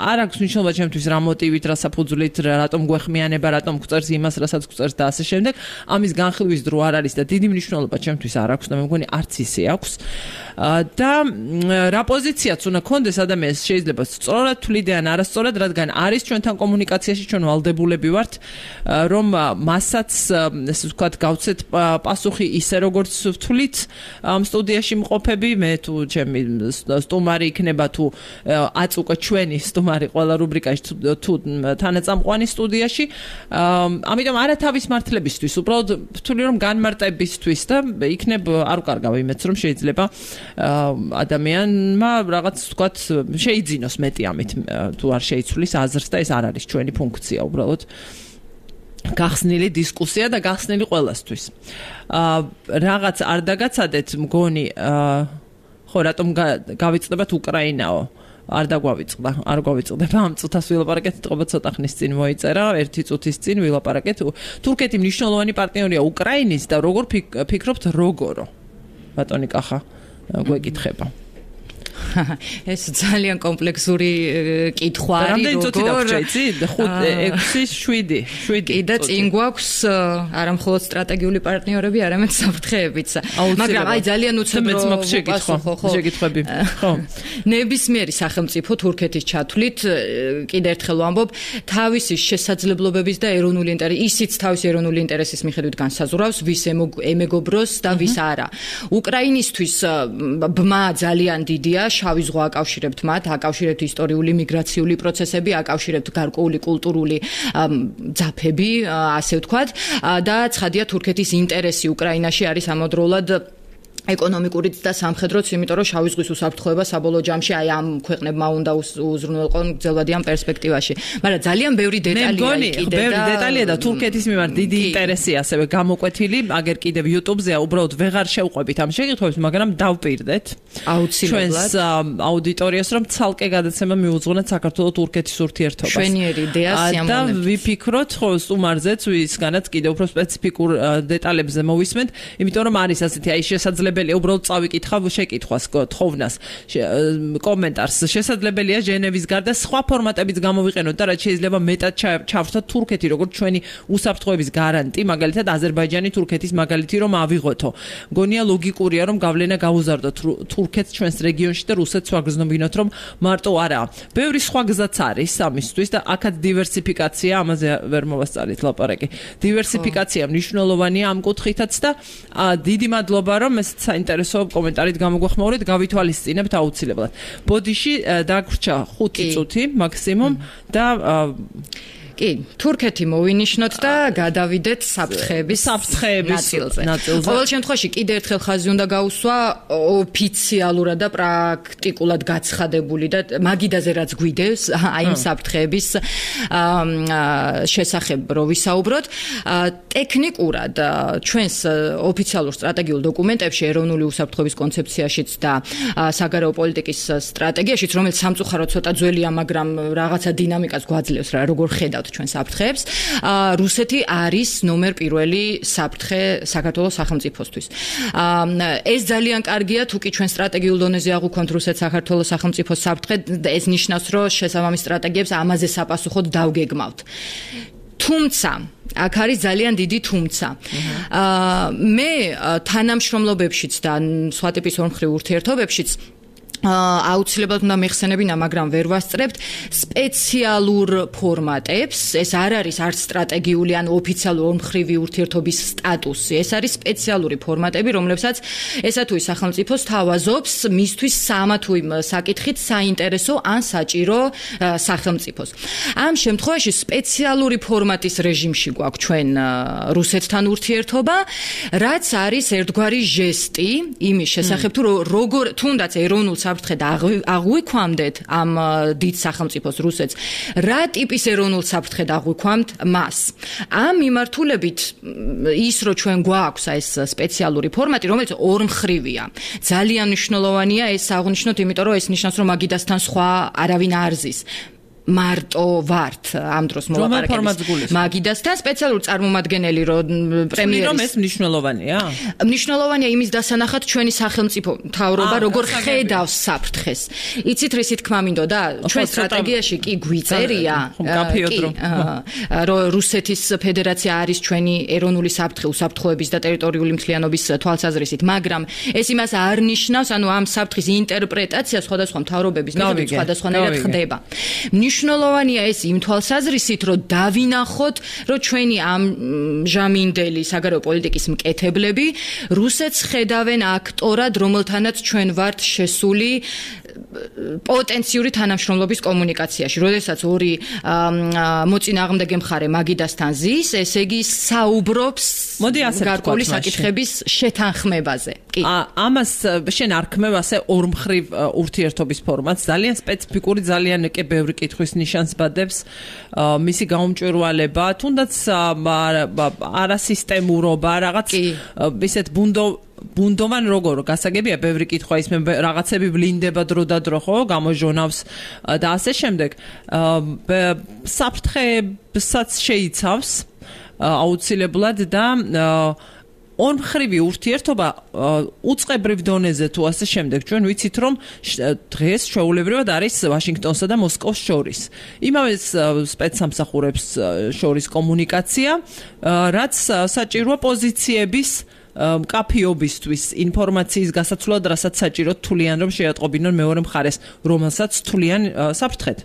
არ აქვს მნიშვნელობა ჩემთვის რა მოტივით, რა საფუძვლით, რატომ გვეხმიანება, რატომ გვწერს იმას, რასაც გვწერს და ასე შემდეგ. ამის განხილვის დრო არ არის და დიდი მნიშვნელობა ჩემთვის არ აქვს და მე მგონი არც ისე აქვს. და რა პოზიციაც უნდა კონდეს ადამიანს შეიძლება სწორად თვლიდე ან არასწორად, რადგან არის ჩვენთან კომუნიკაციაში ჩვენ ვალდებულები ვართ, რომ მასაც ესე ვთქვათ გავცეთ პასუხი ისე როგორც ვთვლით ამ სტუდიაში მყოფები მე თუ ჩემი სტუმარი იქნება თუ აწუკა ჩვენი სტუმარი ყველა რუბრიკაში თუ თანაწამყვანი სტუდიაში ამიტომ არა თავის მართლებისთვის უბრალოდ ვთვლი რომ განმარტებისთვის და იქნებ არ უკარგავ იმედს რომ შეიძლება ადამიანმა რაღაც ვთქვათ შეიძინოს მეტი ამით თუ არ შეიცვლის აზრს და ეს არ არის ჩვენი ფუნქცია უბრალოდ გახსნილი დისკუსია და გახსნილი ყველასთვის. რაღაც არ დაგაცადეთ მგონი ხო რატომ გავიწყდებათ უკრაინაო არ დაგვავიწყდა, არ გვავიწყდება ამ წუთას ვილაპარაკეთ, თქობა ცოტა ხნის წინ მოიწერა, ერთი წუთის წინ ვილაპარაკეთ. თურქეთი მნიშვნელოვანი პარტნიორია უკრაინის და როგორ ფიქრობთ როგორო? ბატონი კახა გვეკითხება. ეს ძალიან კომპლექსური კითხვა არის, რამდენი წუთი დაგჭეიცი? 5, 6, 7. კი და წინ გვაქვს არა მხოლოდ სტრატეგიული პარტნიორები, არამედ საფრთხეებიც. მაგრამ აი ძალიან უცებრო შეკითხვები. ხო. ნებისმიერი სახელმწიფო თურქეთის ჩათვლით კიდე ერთხელ ვამბობ, თავისი შესაძლებლობების და ეროვნული ისიც თავისი ეროვნული ინტერესის მიხედვით განსაზღვრავს, ვის ემეგობროს და ვის არა. უკრაინისთვის ბმა ძალიან დიდია, შავი ზღვა აკავშირებთ მათ, აკავშირებთ ისტორიული მიგრაციული პროცესები, აკავშირებთ გარკვეული კულტურული ძაფები, ასე ვთქვათ, და ცხადია თურქეთის ინტერესი უკრაინაში არის ამავდროულად ეკონომიკურიც და სამხედროც, იმიტომ რომ შავი ზღვის უსაფრთხოება საბოლოო ჯამში აი ამ ქვეყნებმა უნდა უზრუნველყონ გრძელვადიან პერსპექტივაში. მაგრამ ძალიან ბევრი დეტალია კიდე და ბევრი დეტალია და თურქეთის მიმართ დიდი ინტერესი ასევე გამოკვეთილი, აგერ კიდევ YouTube-ზე უბრალოდ ვეღარ შევყვებით ამ შეკითხვებს, მაგრამ დავპირდეთ აუცილებლად ჩვენს აუდიტორიას, რომ ცალკე გადაცემა მიუძღვნეთ საქართველოს-თურქეთის ურთიერთობას. შვენიერი იდეა სიამოვნებთ. და ვიფიქროთ ხო სტუმარზეც, ვისგანაც კიდევ უფრო სპეციფიკურ დეტალებზე მოვისმენთ, იმიტომ რომ არის ასეთი აი შესაძლებელი უბრალოდ წავიკითხავ შეკითხვას, თხოვნას, კომენტარს. შესაძლებელია ჟენევის გარდა სხვა ფორმატებიც გამოვიყენოთ და რაც შეიძლება მეტად ჩავრთოთ თურქეთი, როგორც ჩვენი უსაფრთხოების გარანტი, მაგალითად აზერბაიჯანი თურქეთის მაგალითი რომ ავიღოთო. გონია ლოგიკურია რომ გავლენა გაუზარდოთ თურქეთს ჩვენს რეგიონში და რუსეთს ვაგრძნობინოთ რომ მარტო არაა. ბევრი სხვა გზაც არის ამისთვის და აქაც დივერსიფიკაცია, ამაზე ვერ მოვასწარით ლაპარაკი. დივერსიფიკაცია მნიშვნელოვანია ამ კუთხითაც და დიდი მადლობა რომ ეს საინტერესო კომენტარით გამოგვეხმაურეთ, გავითვალისწინებთ აუცილებლად. ბოდიში დაგვრჩა 5 წუთი მაქსიმუმ და კი, თურქეთი მოვინიშნოთ და გადავიდეთ საფრთხეების ნაწილზე. ყოველ შემთხვევაში კიდე ერთხელ ხაზი უნდა გაუსვა ოფიციალურად და პრაქტიკულად გაცხადებული და მაგიდაზე რაც გვიდევს აი ამ საფრთხეების შესახებ რო ვისაუბროთ. ტექნიკურად ჩვენს ოფიციალურ სტრატეგიულ დოკუმენტებში, ეროვნული უსაფრთხოების კონცეფციაშიც და საგარეო პოლიტიკის სტრატეგიაშიც, რომელიც სამწუხაროდ ცოტა ძველია, მაგრამ რაღაცა დინამიკას გვაძლევს რა, როგორ ხედავთ ჩვენ საფრთხეებს, რუსეთი არის ნომერ პირველი საფრთხე საქართველოს სახელმწიფოსთვის. ეს ძალიან კარგია, თუ კი ჩვენ სტრატეგიულ დონეზე აღვქვამთ რუსეთს საქართველოს სახელმწიფოს საფრთხე, ეს ნიშნავს, რომ შესაბამის სტრატეგიებს ამაზე sapasუხოდ დავგეგმავთ. თუმცა აქ არის ძალიან დიდი თუმცა. მე თანამშრომლობებშიც და სხვა ტიპის ორმხრივ ურთიერთობებშიც აუცილებლად უნდა მეხსენებინა, მაგრამ ვერ ვასწრებთ სპეციალურ ფორმატებს. ეს არ არის არც სტრატეგიული ან ოფიციალური ორმხრივი ურთიერთობის სტატუსი. ეს არის სპეციალური ფორმატები, რომლებსაც ესა თუ ის სახელმწიფო სთავაზობს მისთვის სამა თუ იმ საკითხით საინტერესო ან საჭირო სახელმწიფოს. ამ შემთხვევაში სპეციალური ფორმატის რეჟიმში გვაქვს ჩვენ რუსეთთან ურთიერთობა, რაც არის ერთგვარი ჟესტი იმის შესახებ, თუ როგორ თუნდაც ეროვნულ საფრთხედ აღვიქვამდეთ ამ დიდ სახელმწიფოს რუსეთს, რა ტიპის ეროვნულ საფრთხედ აღვიქვამთ მას. ამ მიმართულებით ის რომ ჩვენ გვაქვს ეს სპეციალური ფორმატი, რომელიც ორმხრივია. ძალიან მნიშვნელოვანია ეს აღნიშნოთ, იმიტომ რომ ეს ნიშნავს, რომ მაგიდასთან სხვა არავინ არ ზის. მარტო ვართ ამ დროს მოლაპარაკების მაგიდასთან სპეციალური წარმომადგენელი რომ პრემიერის რომ ეს მნიშვნელოვანია? მნიშვნელოვანია იმის დასანახად ჩვენი სახელმწიფო მთავრობა როგორ ხედავს საფრთხეს. იცით რისი თქმა მინდოდა? ჩვენ სტრატეგიაში კი გვიწერია რომ რუსეთის ფედერაცია არის ჩვენი ეროვნული საფრთხე, უსაფრთხოების და ტერიტორიული მთლიანობის თვალსაზრისით, მაგრამ ეს იმას არ ნიშნავს, ანუ ამ საფრთხის ინტერპრეტაცია სხვადასხვა მთავრობების მიხედვით სხვადასხვანაირად ხდება. მნიშვნელოვანია ეს იმ თვალსაზრისით, რომ დავინახოთ, რომ ჩვენი ამჟამინდელი საგარეო პოლიტიკის მკეთებლები რუსეთს ხედავენ აქტორად, რომელთანაც ჩვენ ვართ შესული პოტენციური თანამშრომლობის კომუნიკაციაში. როდესაც ორი მოწინააღმდეგე მხარე მაგიდასთან ზის, ესე იგი საუბრობს გარკვეული საკითხების შეთანხმებაზე. კი. ამას შენ არ ქმევ ასე ორმხრივ ურთიერთობის ფორმატს, ძალიან სპეციფიკური, ძალიან კი ბევრი კითხვის ნიშანს ბადებს, მისი გაუმჭვირვალება, თუნდაც არასისტემურობა, რაღაც ისეთ ბუნდოვან როგორ გასაგებია ბევრი კითხვა ის მე რაღაცები ვლინდება დრო და დრო ხო გამოჟონავს და ასე შემდეგ საფრთხეებსაც შეიცავს აუცილებლად და ორმხრივი ურთიერთობა უწყებრივ დონეზე თუ ასე შემდეგ ჩვენ ვიცით რომ დღეს ჩვეულებრივად არის ვაშინგტონსა და მოსკოვს შორის. იმავე სპეცსამსახურებს შორის კომუნიკაცია, რაც საჭიროა პოზიციების კაფიობისთვის ინფორმაციის გასაცვლად, რასაც საჭიროდ თვლიან რომ შეატყობინონ მეორე მხარეს, რომელსაც თვლიან საფრთხედ.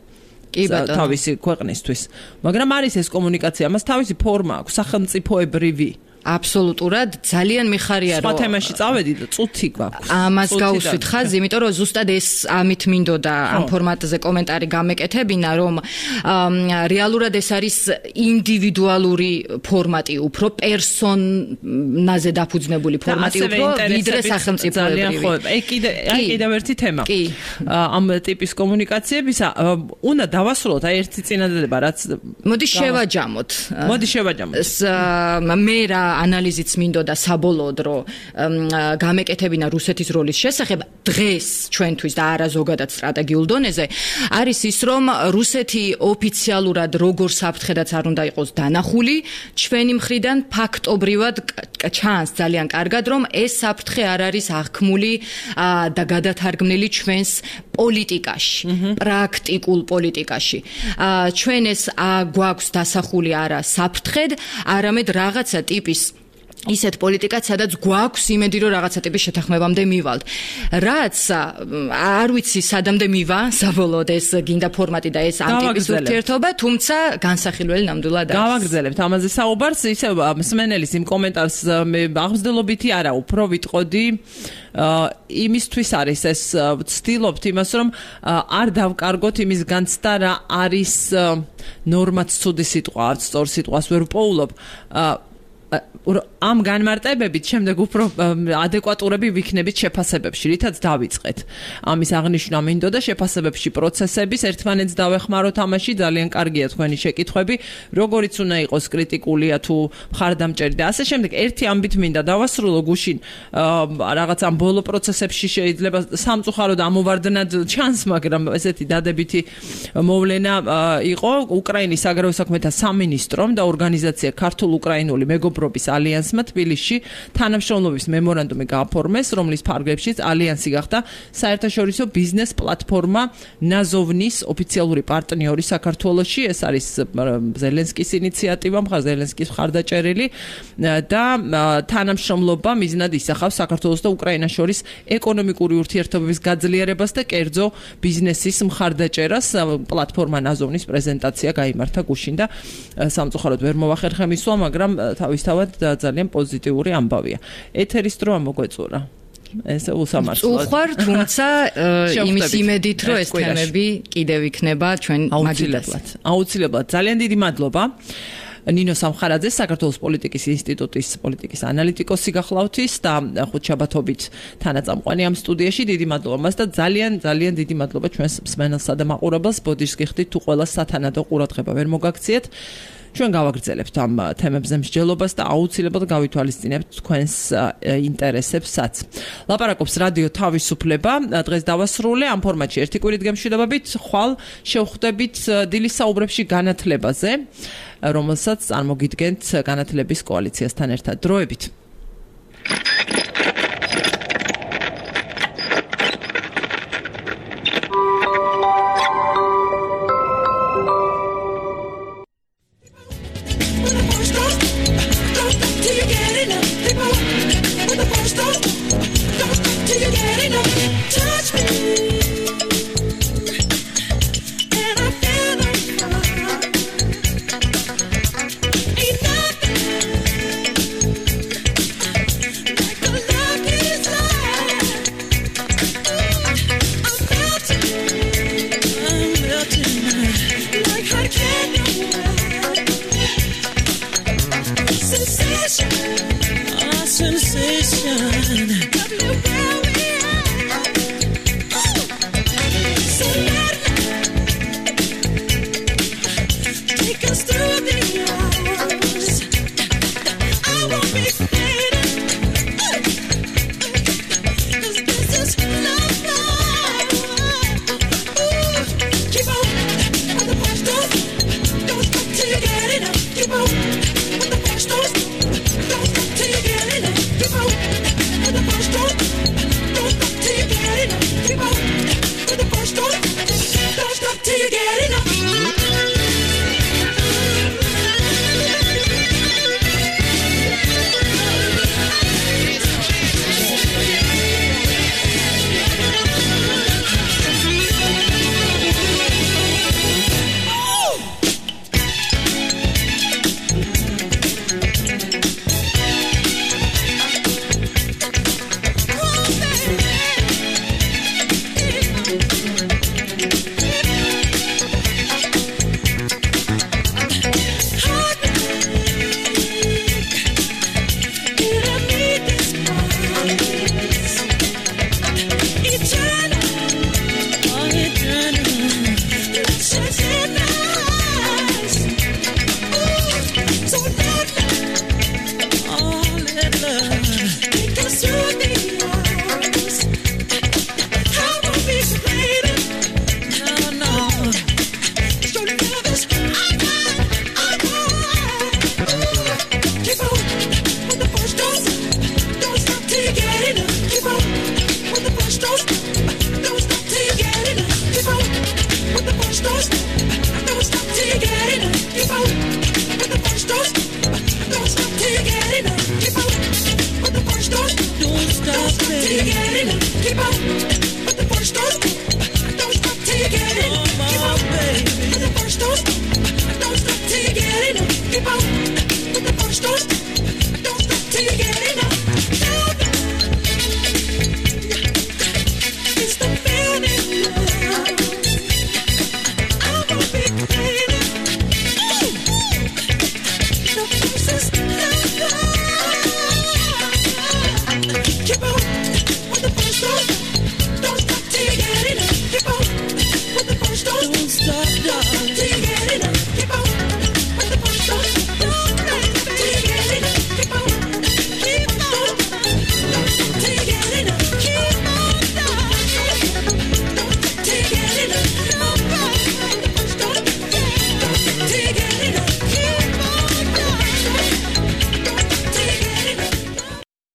თავისი ქვეყნისთვის. მაგრამ არის ეს კომუნიკაცია, მას თავისი ფორმა აქვს, სახელმწიფოებრივი. აბსოლუტურად ძალიან მიხარია რომ სხვა თემაში წავედი და წუთი გვაქვს. ამას გავუსვით ხაზი, იმიტომ რომ ზუსტად ეს ამით მინდოდა ამ ფორმატზე კომენტარი გამეკეთებინა, რომ რეალურად ეს არის ინდივიდუალური ფორმატი, უფრო პერსონაზე დაფუძნებული ფორმატი, უფრო ვიდრე სახელმწიფოებრივი. კიდევ ერთი თემა. ამ ტიპის კომუნიკაციებისა უნდა დავასრულოთ აი ერთი წინადადება, რაც მოდი შევაჯამოთ. მე რა ანალიზიც მინდოდა საბოლოოდ რომ გამეკეთებინა რუსეთის როლის შესახებ დღეს ჩვენთვის და არა ზოგადად სტრატეგიულ დონეზე არის ის რომ რუსეთი ოფიციალურად როგორ საფრთხედაც არ უნდა იყოს დანახული ჩვენი მხრიდან ფაქტობრივად ჩანს ძალიან კარგად რომ ეს საფრთხე არ არის აღქმული და გადათარგმნილი ჩვენს პოლიტიკაში პრაქტიკულ პოლიტიკაში ჩვენ ეს გვაქვს დასახული არა საფრთხედ არამედ რაღაცა ტიპის ისეთ პოლიტიკაც, სადაც გვაქვს იმედი, რომ რაღაცა ტიპის შეთანხმებამდე მივალთ. რაც არ ვიცი, სადამდე მივა, საბოლოოდ ეს გინდა ფორმატი და ეს ამ ტიპის ურთიერთობა, თუმცა განსახილველი ნამდვილად არის. გავაგრძელებთ ამაზე საუბარს, ისე მსმენელის იმ კომენტარს მე აღმზრდელობითი არა, უფრო ვიტყოდი იმისთვის არის ეს ვცდილობთ იმას რომ არ დავკარგოთ იმის განცდა რა არის ნორმაც ცუდი სიტყვა, არც სწორ სიტყვას ვერ ვპოულობ. ამ განმარტებებით შემდეგ უფრო ადეკვატურები ვიქნებით შეფასებებში, რითაც დავიწყეთ. ამის აღნიშვნა მინდოდა შეფასებებში პროცესების ერთმანეთს დავეხმაროთ ამაში, ძალიან კარგია თქვენი შეკითხვები, როგორიც უნდა იყოს კრიტიკულია თუ მხარდამჭერი და ასე შემდეგ. ერთი ამბით მინდა დავასრულო გუშინ რაღაც ამ ბოლო პროცესებში შეიძლება სამწუხაროდ ამოვარდნად ჩანს, მაგრამ ესეთი დადებითი მოვლენა იყო უკრაინის საგარეო საქმეთა სამინისტრომ და ორგანიზაცია ქართულ-უკრაინული მეგობრობის ალიანსმა თბილისში თანამშრომლობის მემორანდუმი გააფორმეს, რომლის ფარგლებშიც ალიანსი გახდა საერთაშორისო ბიზნეს პლატფორმა ნაზოვნის ოფიციალური პარტნიორი საქართველოში. ეს არის ზელენსკის ინიციატივა, ზელენსკის მხარდაჭერილი და თანამშრომლობა მიზნად ისახავს საქართველოს და უკრაინას შორის ეკონომიკური ურთიერთობების გაძლიერებას და კერძო ბიზნესის მხარდაჭერას. პლატფორმა ნაზოვნის პრეზენტაცია გაიმართა გუშინ და სამწუხაროდ ვერ მოვახერხე მისვლა, მაგრამ თავისთავად ძალიან პოზიტიური ამბავია. ეთერის დროა მოგვეწურა. ეს უსამართლოა. უხარ, თუმცა იმის იმედით, რომ ეს თემები კიდევ იქნება ჩვენ მაგილებლად. აუცილებლად. ძალიან დიდი მადლობა. ნინო სამხარაძე საქართველოს პოლიტიკის ინსტიტუტის პოლიტიკის ანალიტიკოსი გახლავთ და ხუთშაბათობით თანაწამყვანი ამ სტუდიაში. დიდი მადლობა მას და ძალიან დიდი მადლობა ჩვენს მსმენელსა და მაყურებელს. ბოდიშს გიხდით თუ ყველა სათანადო ყურადღება ვერ მოგაქციეთ. ჩვენ გავაგრძელებთ ამ თემებზე მსჯელობას და აუცილებლად გავითვალისწინებთ თქვენს ინტერესებსაც. ლაპარაკობს რადიო თავისუფლება. დღეს დავასრულე ამ ფორმატში ერთი კვირით გემშვიდობებით. ხვალ შევხვდებით დილის საუბრებში განათლებაზე, რომელსაც წარმოგიდგენთ განათლების კოალიციასთან ერთად. დროებით. till you get enough. Keep on, but the first don't stop till you get enough. Keep on, baby, but the first don't stop till you get enough. Keep on.